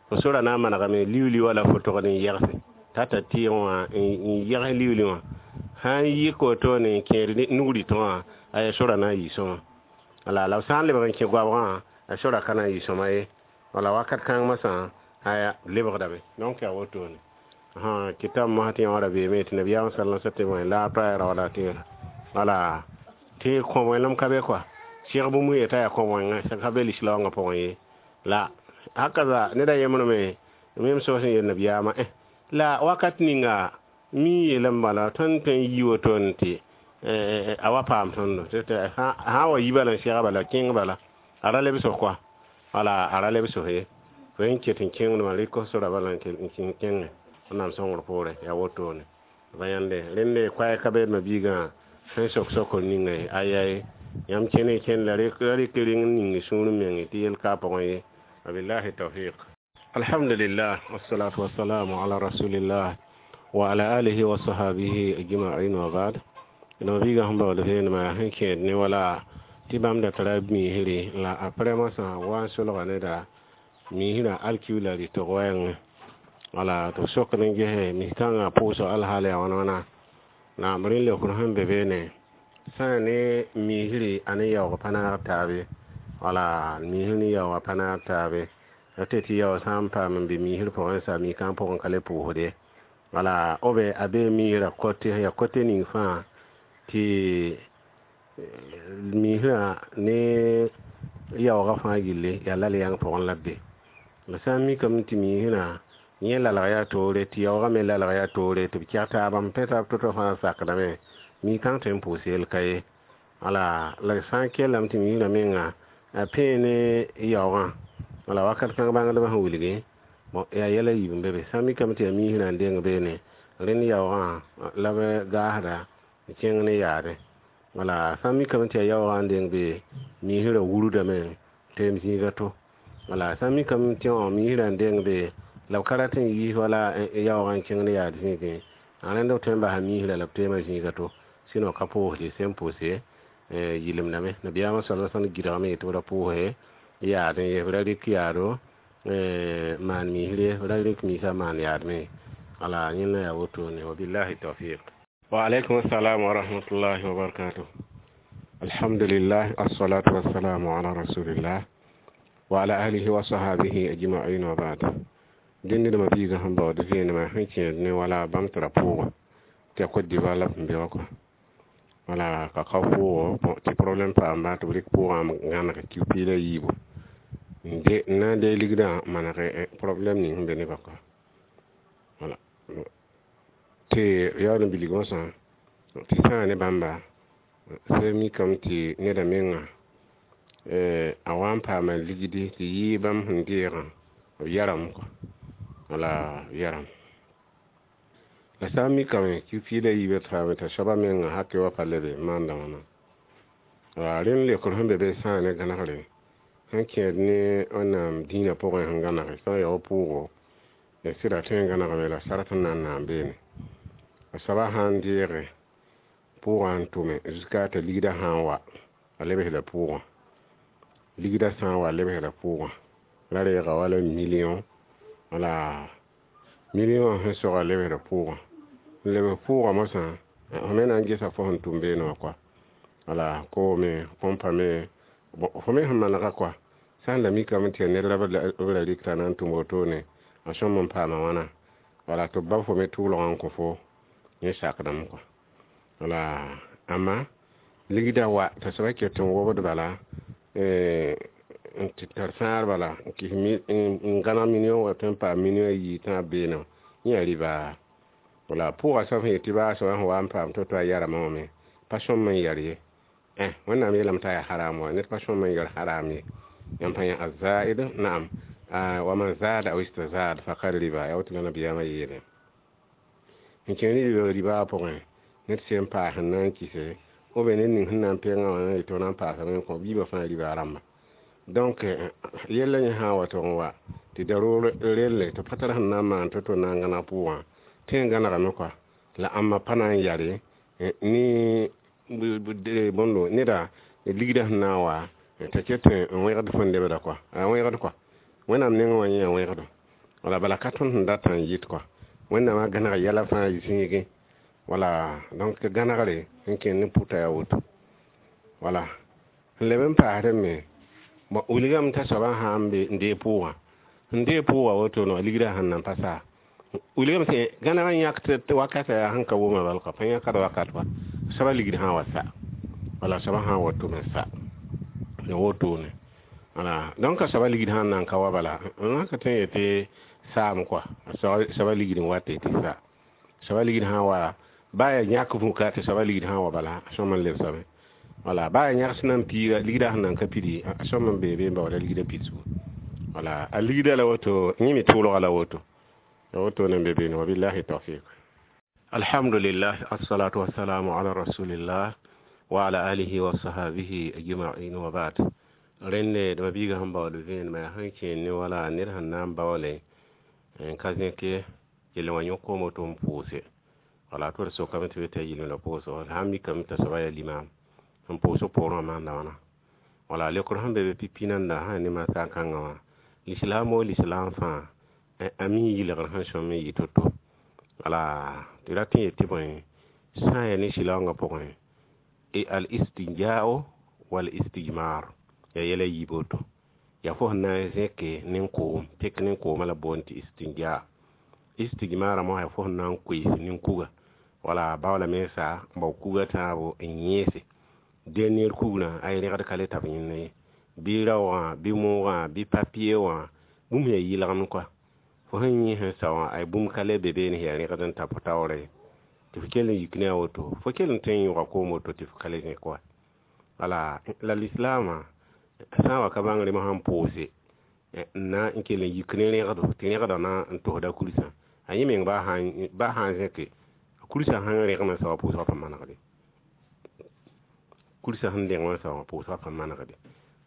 fo sora na n manegame liuli wala fo togd n yɛgse t'a tar tɩɩg wã n yɛgs liuli wã sã n yik wotone n kẽer nugritẽ wã aya sora na n yɩ sõma wala la b sã n lebg n kẽ goabgã a sora ka na n yɩ sõma ye wala wakat kãng masã aya lebgdame donc yaa wotone kitab mosã tɩ yã wã ra beeme tɩ nabiyaam sala sallam la a pa raooda tɩ wala tɩ kõ wẽnem ka be koa sɩg bũmb yeta yaa kõ wẽnga ka be lislaoongã pʋgẽ ye la hakaza ned a yembrme mem soos n yel nabiyaamã eh la wakat ninga mi yeelame bala tõnd tõe n yi wotone tɩ a wa paam tõndo sã n wa yi bala n sɛga bala kẽng bala a ra lebs koa wala a ra lebs ye fo n ket n kẽngdmã rɩk sora bala n kẽngẽ wẽnnaam sõngr poorẽ yaa wotone ba yãnde rẽnde koɛɛg ka beedmã biigã sẽn sok sokr ninga ye aya yãmb kẽne kẽnd la rɩk reng n ning sũur meng tɩ yel ka pʋgẽ ye wabillahi tawfiq alhamdulillah wassalatu wassalamu ala rasulillah wa ala alihi wa sahabihi ajma'in wa ba'd no biiga sẽn baood vẽenemã sẽn kẽed ne wala tɩ bãmb da tara miisre la aprɛ masã wa n solga neda miisrã alkiula rɩtg wɛɛngẽ wala tɩ b sokd n gese mis-kãngã pʋʋsg alhaal yaa wãn wãna naam rẽnd leokr sẽn be beene sã n ne miisre a ne yaoog pa naag taabe wala miisr ne yaoogã pa naag taabe tɩ tɩ yaoog sã n paam n be miisr pʋgẽ sa mi-kãng pʋgẽ ka le pʋʋsde wala b a bee miisrã kote yaa kote ning fãa tɩ miisrã ne yaoogã fãa gilli yaa lal yãng pʋgẽ la b be la sã n mikame tɩ miisrã yẽ lalg yaa toore tɩ yaoogã me lalg yaa toore tɩ b kɛg taaba n pẽ taab to-to fãa sakdame mi-kãng tõe n pʋʋs yel ka ye wala la sã n kellame tɩ miisrã menga a pẽe ne yaoogã wala wakat kãng bãngdbã sẽn wilgi bon yaa yɛla yiib n be be sã n mikame tɩ yaa miisrã n deng beene Rẽnd yaoogã la b gaasda n kẽng ne yaadẽ. Wala sã n mikame tɩ yaa yaoogã n deng be miisrã wurudame teem zĩiga to. Wala sã n mikame tɩ miisrã n deng be la b ka rat n yiis wala yaoogã n kẽng ne yaad zĩigẽ, rẽnd b tõe n basa miisrã la b teema zĩiga to. Sɩno ka pʋʋsd sẽn pʋʋse yɩlemdame. Nabiyaamã sala sallam gɩdgame yetɩ b ra pʋʋse yaadẽ ye, b ra rɩk yaado maan miisr ye, b ra rɩk miisã maan yaad me. Wala yẽnda yaa wotone. Wabillahi tawfiq. Wa alaikum assalam wa rahmatullahi wa barakatuh. Alhamdulillah, assalatu wassalamu ala rasulillah wa ala alihi wa sahabihi ajma'in wa ba'd. Dẽnd ned mabiigã sẽn baood vẽenemã sẽn kẽed ne wala bãmb tɩ ra pʋʋga tɩ yaa Côte d'Ivoire la b sẽn be wã kɔa. Wala ka ka pʋʋgo tɩ problème paamba tɩ b rɩk pʋʋgã n gãneg kiu-piig la yiibu n de n na n deeg ligdã n maneg problème ning sẽn be nebã kɔa. Wala tɩ yaool n bilg mosã tɩ sãa ne bãmba sã mikame tɩ neda menga a wa n paama ligdi tɩ yɩɩ bãmb sẽn deegã b yarame kɔa. Wala yarame. La sã n mikame kiu-piig la yiibã t'a t'a soaba menga hakɛ wa pa lebe n maanda wãna. Wala rẽnd leokr sẽn be be sãa ne gãnegre sẽn kẽed ne Wẽnnaam dĩinã pʋgẽ sẽn gãnege sã n ya wa pʋʋgo ya sɩda tõe n gãnegame la sarat n na n naan beene. A soaba sã n deege pʋʋgã n tʋme jusqu'à t'a ligdã sã n wa a lebsda pʋʋgã. Ligdã sã n wa a lebsda pʋʋgã la reega wala million, wala million wã sẽn soga lebsda pʋʋgã. N lebs pʋʋgã mosã f me na n gesa fo sẽn tʋm beene wã kɔa. Wala koome, põmpa me, fo me sẽn manega kɔa. Sã n la mikame tɩ yaa ned la b ra rɩk t'a na n tʋm wotone a sõm n paama wãna. Wala tɩ b ba fo me tʋʋlgã n kõ fo yẽ sakdame kɔa. Wala amma ligdã wa t'a soaba ket n wobd bala n tɩ tar fãagr bala n kɩs n gãneg million wa tõe n paam million a yii tãab beene wã yẽ yaa rɩba. Wala pʋʋga soab sẽn yet tɩ baa soaba sẽn wa n paam to-to a yarame wã me pa sõm n yar ye. Wẽnnaam yeelame t'a yaa haram wa ned pa sõm n yar haram ye. Yãmb pa yã azaid naam wa man zada aw istazad faqad riba yaa woto la nabiyaamã yeele. N kẽng ne ribaa pʋgẽ ned sẽn paas n na n kɩse ou bien ned ning sẽn na n pengã wã na n yetɩ na n paasame n kõ biibã fãa ribaa rãmba. Donc yella yẽ sã n wa tʋg n wa tɩ daroog relle tɩ pa tar sẽn na n maan to-to na n gãneg pʋʋgã tõe n gãnegame kɔa la ãmba pa na n yare ne bõndo neda ligdã sẽn na n wa t'a ket n wẽgd fõn lebda kɔa a wẽgd kɔa. Wẽnnaam nengẽ wã yẽ yaa wẽgdo. Wala bala ka tõnd sẽn datã n yɩt kɔa. Wẽnnaamã gãneg yɛla fãa zĩigẽ. Wala donc gãnegre sẽn kẽnd ne pʋta yaa woto. Wala n leb n paasdẽ me wilgame t'a soabã sã n be n deeg pʋʋgã sẽn deeg pʋʋgã woto no ligdã sẽn nan pa saa wilgame tɩ gãneg n yãk tɩ wakatã yaa sẽn ka wʋma bal kɔa pa yãkd wakat wa soaba ligd sã n wa sa wala soaba sã n wa tʋm n sa ya wotone. Wala donc a soaba ligd sã n nan ka wa bala n ka tõe n yetɩ saam kɔa soaba ligd n wat tɩ sa soaba ligd sã n wa baa yaa yãk vũka tɩ soaba ligd sã n wa bala a sõm n lebsame. Wala baa yaa yãgs nan piiga ligdã sẽn nan ka pidi a sõm n bee be n baooda ligdã pidsgu. Wala a ligdã la woto yẽ me tʋʋlga la woto ya wotone n be beene. Wabillahi tawfiq. Alhamdulillah, assalatu wassalamu ala rasulillah wa ala alihi wa sahabihi ajma'in wa ba'd. Rẽnde d mabiigã sẽn baood vẽenemã yaa sẽn kẽed ne wala ned sẽn na n baoole n ka zẽk ye yell wã yõk koom woto n pʋʋse. Wala tɩ d sokame tɩ b t'a yɩlem la pʋʋsgo sã n mikame t'a soaba yaa limam n pʋʋs poorẽ wã maanda wãna. Wala leokr sẽn be be pipi nanda sã ne masã kãngã wã lislaam o lislaam fãa a mi yɩlgr sẽn sõm n yɩ to-to. Wala tɩ rat n yet tɩ bõe sã n yaa ne sɩlaoongã pʋgẽ al istinjao wal istijmar yaa yɛla yiib woto. Yaa fo sẽn na n zẽke nin-koom pek nin-koomã la boond tɩ istinja. Istijmara mosã yaa fo sẽn na n koees nin-kuga wala baoola mensa n bao kuga tãabo n yẽese dernier kugrã a rẽgd ka le tab yẽnd ye bɩ raoogã bɩ moogã bɩ papier wã bũmb yaa yɩlgem kɔa. Fo sẽn yẽ sẽn sao wã ay bũmb ka le be beene sẽn yaa rẽgd n ta fo taoorã ye tɩ fo kell n yik ne a woto fo kell n tõe n yõga koom woto tɩ fo ka le zẽk wa. Wala la lislaamã sã n wa ka bãng rem sãn pʋʋse n na n kell n yik ne rẽgdo tɩ rẽgdã na n tosda kursã A yẽ meng baa sã baa sã n zẽke kursa sẽn rẽgem n sa wã pʋʋsgã pa manegde kursa sẽn rẽgem n sa wã pʋʋsgã pa manegde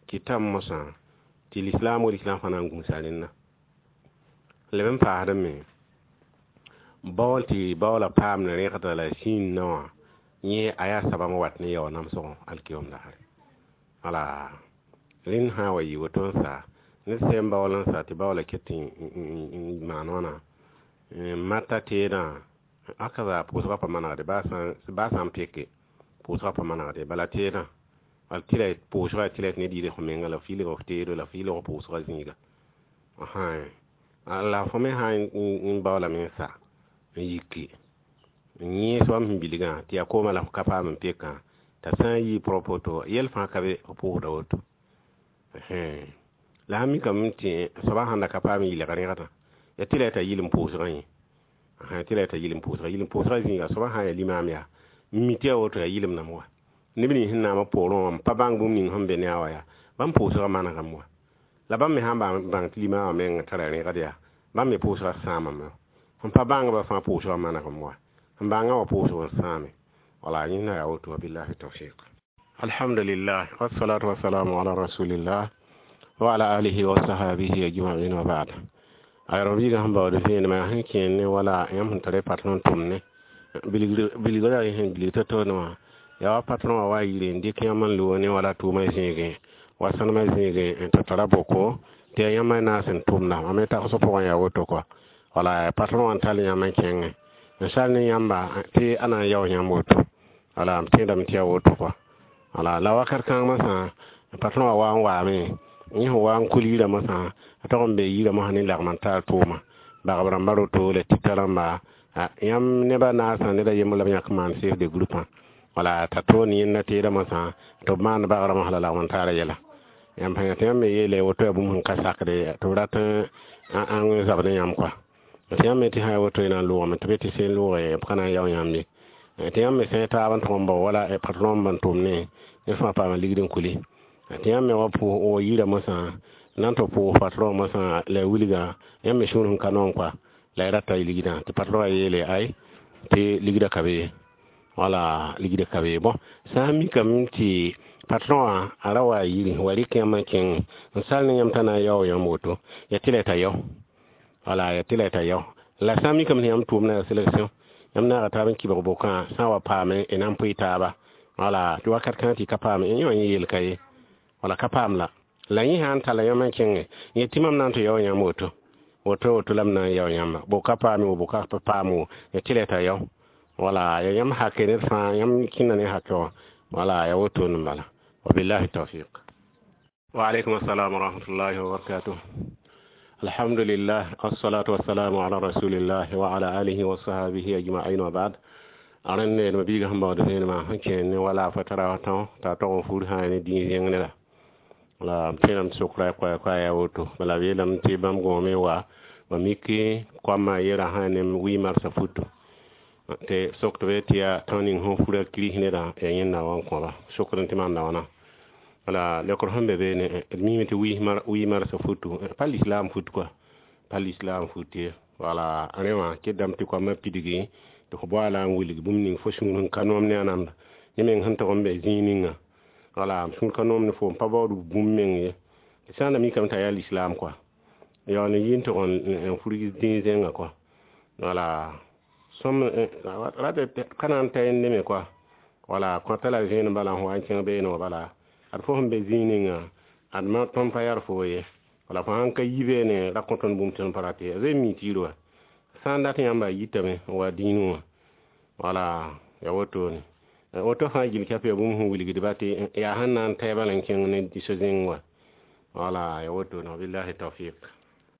kɩtame mosã tɩ lislaam wa lislaam fãa na n gũusa rẽnna leb n paasdẽ me baool tɩ baoola paamd rẽgda la zĩnnã wã yẽ a yaa sabam wat ne yao namsgõ alkiyom daare wala rẽnd sã n wa yɩ woto n sa ned sɛm baool n sa tɩ baoola ket n maan wãna mata teedã aka pʋʋsgã pa manegde baa sã n peke pʋʋsgã pa manegde bala teedã bala tɩ la pʋʋsga tɩ la ned yɩ f menga la f yɩlg f teedo la f yɩlg pʋʋsgã zĩiga la fo me sã n baoolame n sa n yiki n yẽes bãmb sẽn bilgã tɩ yaa koomã la f ka paam n pekã t'a sã n yɩ propre woto yɛl fãa ka be f pʋʋsda woto la sã mikame tɩ soabã sãn da ka paam n yɩlg rẽgdã ya tɩ la t'a yɩl n pʋʋsgã yẽ tɩ la t'a yɩl n pʋʋsga yɩl n pʋʋsgã zĩiga soabã sã n yaa limaam yaa n mi tɩ yaa woto yaa yɩlem name wa neb nins sẽn naamã poorẽ wã n pa bãng bũmb ning sẽn be ne a wa yaa bãmb pʋʋsgã manegame wa la bãmb me sã n bãng tɩ limaamã meng tara rẽgd yaa bãmb me pʋʋsgã sãamame sẽn pa bãngba fãa pʋʋsgã manegame wa sẽn bãngã wa pʋʋsg n sãame wala yẽnda yaa woto wabillahi tawfiq alhamdulillah wassalatu wassalamu ala rasulillah wa ala alihi wa sahabihi ajma'in wa ba'd ayro biiga sẽn baood vẽenemã sẽn kẽer ne wala yãmb sẽn tara patron tʋm ne bilgra sẽn bilg to-to ne wã yaa wa patron wã wa yire n dɩk yãmb n loog ne wala tʋʋmã zẽegẽ wa sãnemã zẽegẽ n tɩ tara boko tɩ yaa yãmb naas n tʋmda mam me tagsg pʋgẽ yaa woto kɔa wala patron wã n tall yãmb n kẽngẽ n sal ne yãmba tɩ a na n yao yãmb woto wala m tẽedame tɩ yaa woto kɔa wala la wakat kãng mosã patron wã wa n waame yẽ sẽn wa n kul yirã mosã a tog n be yirã mosã ne lagm n tar tʋʋma bagb rãmba roto la tita rãmba yãmb nebã naasã ned a yembr la b yãk n maan chef de groupe wala t'a toon yẽnda teedã mosã tɩ b maan bagrã mosã la lagm n taara yɛla yãmb sã tɩ yãmb me yeele woto yaa bũmb sẽn ka sakde tɩ b rat n zabd ne yãmb kɔa tɩ yãmb me tɩ sã ya woto y na n loogame tɩ be tɩ sẽn looge b ka na n yao yãmb ye tɩ yãmb me sẽ taab n tʋg n bao wala patron n tʋm ne ned fãa paama ligd n kuli tɩ yãmb me wa wa yirã mosã na n tɩ pʋʋs patron mosã la wilgã yãmb me sũur sẽn ka noom kɔa la y rata y ligdã tɩ patron wã yeele ay tɩ ligdã ka be ye wala ligdã ka be ye bõn sã n mikame tɩ patron wã a ra wa yiri wa rɩk yãmb n kẽng n sal ne yãmb t'a na n yao yãmb woto ya tɩ la t'a yao wala ya tɩ la t'a yao la sã n mikame tɩ yãmb tʋʋmda yaa sélection yãmb naaga taab n kibg bokã sã n wa paame y na n pʋɩ taaba wala tɩ wakat kãngã tɩ y ka paame yẽ wã yẽ yel ka ye wala ka paam la la yẽ sã n talla yãmb n kẽngẽ yẽ tɩ mam na n tɩ yao yãmb woto woto woto la m na n yao yãmba bo ka paame wo bo ka pa paam wo ya tɩ la t'a yao wala ya yãmb hake ned fãa yãmb kẽnda ne hake wã wala ya woto n bala wabillahi tawfiq wa alaikum assalam wa rahmatullahi wa barakatuh alhamdulillah wassalatu wassalamu ala rasulillah wa ala alihi wa sahbihi ajma'in wa ba'd aren ne ma biiga sẽn baood vẽenemã sẽn kẽer ne wala fa tara tão t'a tog n fur sã ne dĩig zẽng ne la la m tẽedame tɩ sokra koa koa yaa woto bala b yeelame tɩ bãmb gõome wa ba mik koamã yera sã ne wi marsã futu tɩ sok tɩ be tɩ yaa tão ning sẽn fura kiris nedã yaa yẽnda wa n kõba sokd n tɩ maanda wãna wala leokr sẽn be beene d miime tɩ wi marsã futu pa lislaam fut kɔa pa lislaam fut ye wala rẽ wã kɩtdame tɩ koamã pidgi tɩ fo boala n wilg bũmb ning fo sũur sẽn ka noom ne a namda yẽ meng sẽn tog n be zĩig ninga wala sũur ka noom ne foom pa baood bũmb meng ye sã n da mikame t'a yaa lislaam kɔa yaool n yi n tog n furg dĩig zẽngã kɔa wala sõm rat ka na n ta yẽnde me kɔa wala kõta la vẽenem bala n wa n kẽng beene wã bala ad fo sẽn be zĩig ninga ad ma tõnd pa yar fo ye wala fo sãn ka yi beene ra kõ tõnd bũmb tõnd pa rat ye a mi tɩ wa sã n dat yãmba yitame n wa dĩinẽ wã wala ya wotone woto fãa gill ka yaa bũmb sẽn wilgdba tɩ yaa sẽn na n taɩ bala n kẽng ne so zẽng wã wala ya wotone wabillahi tawfiq.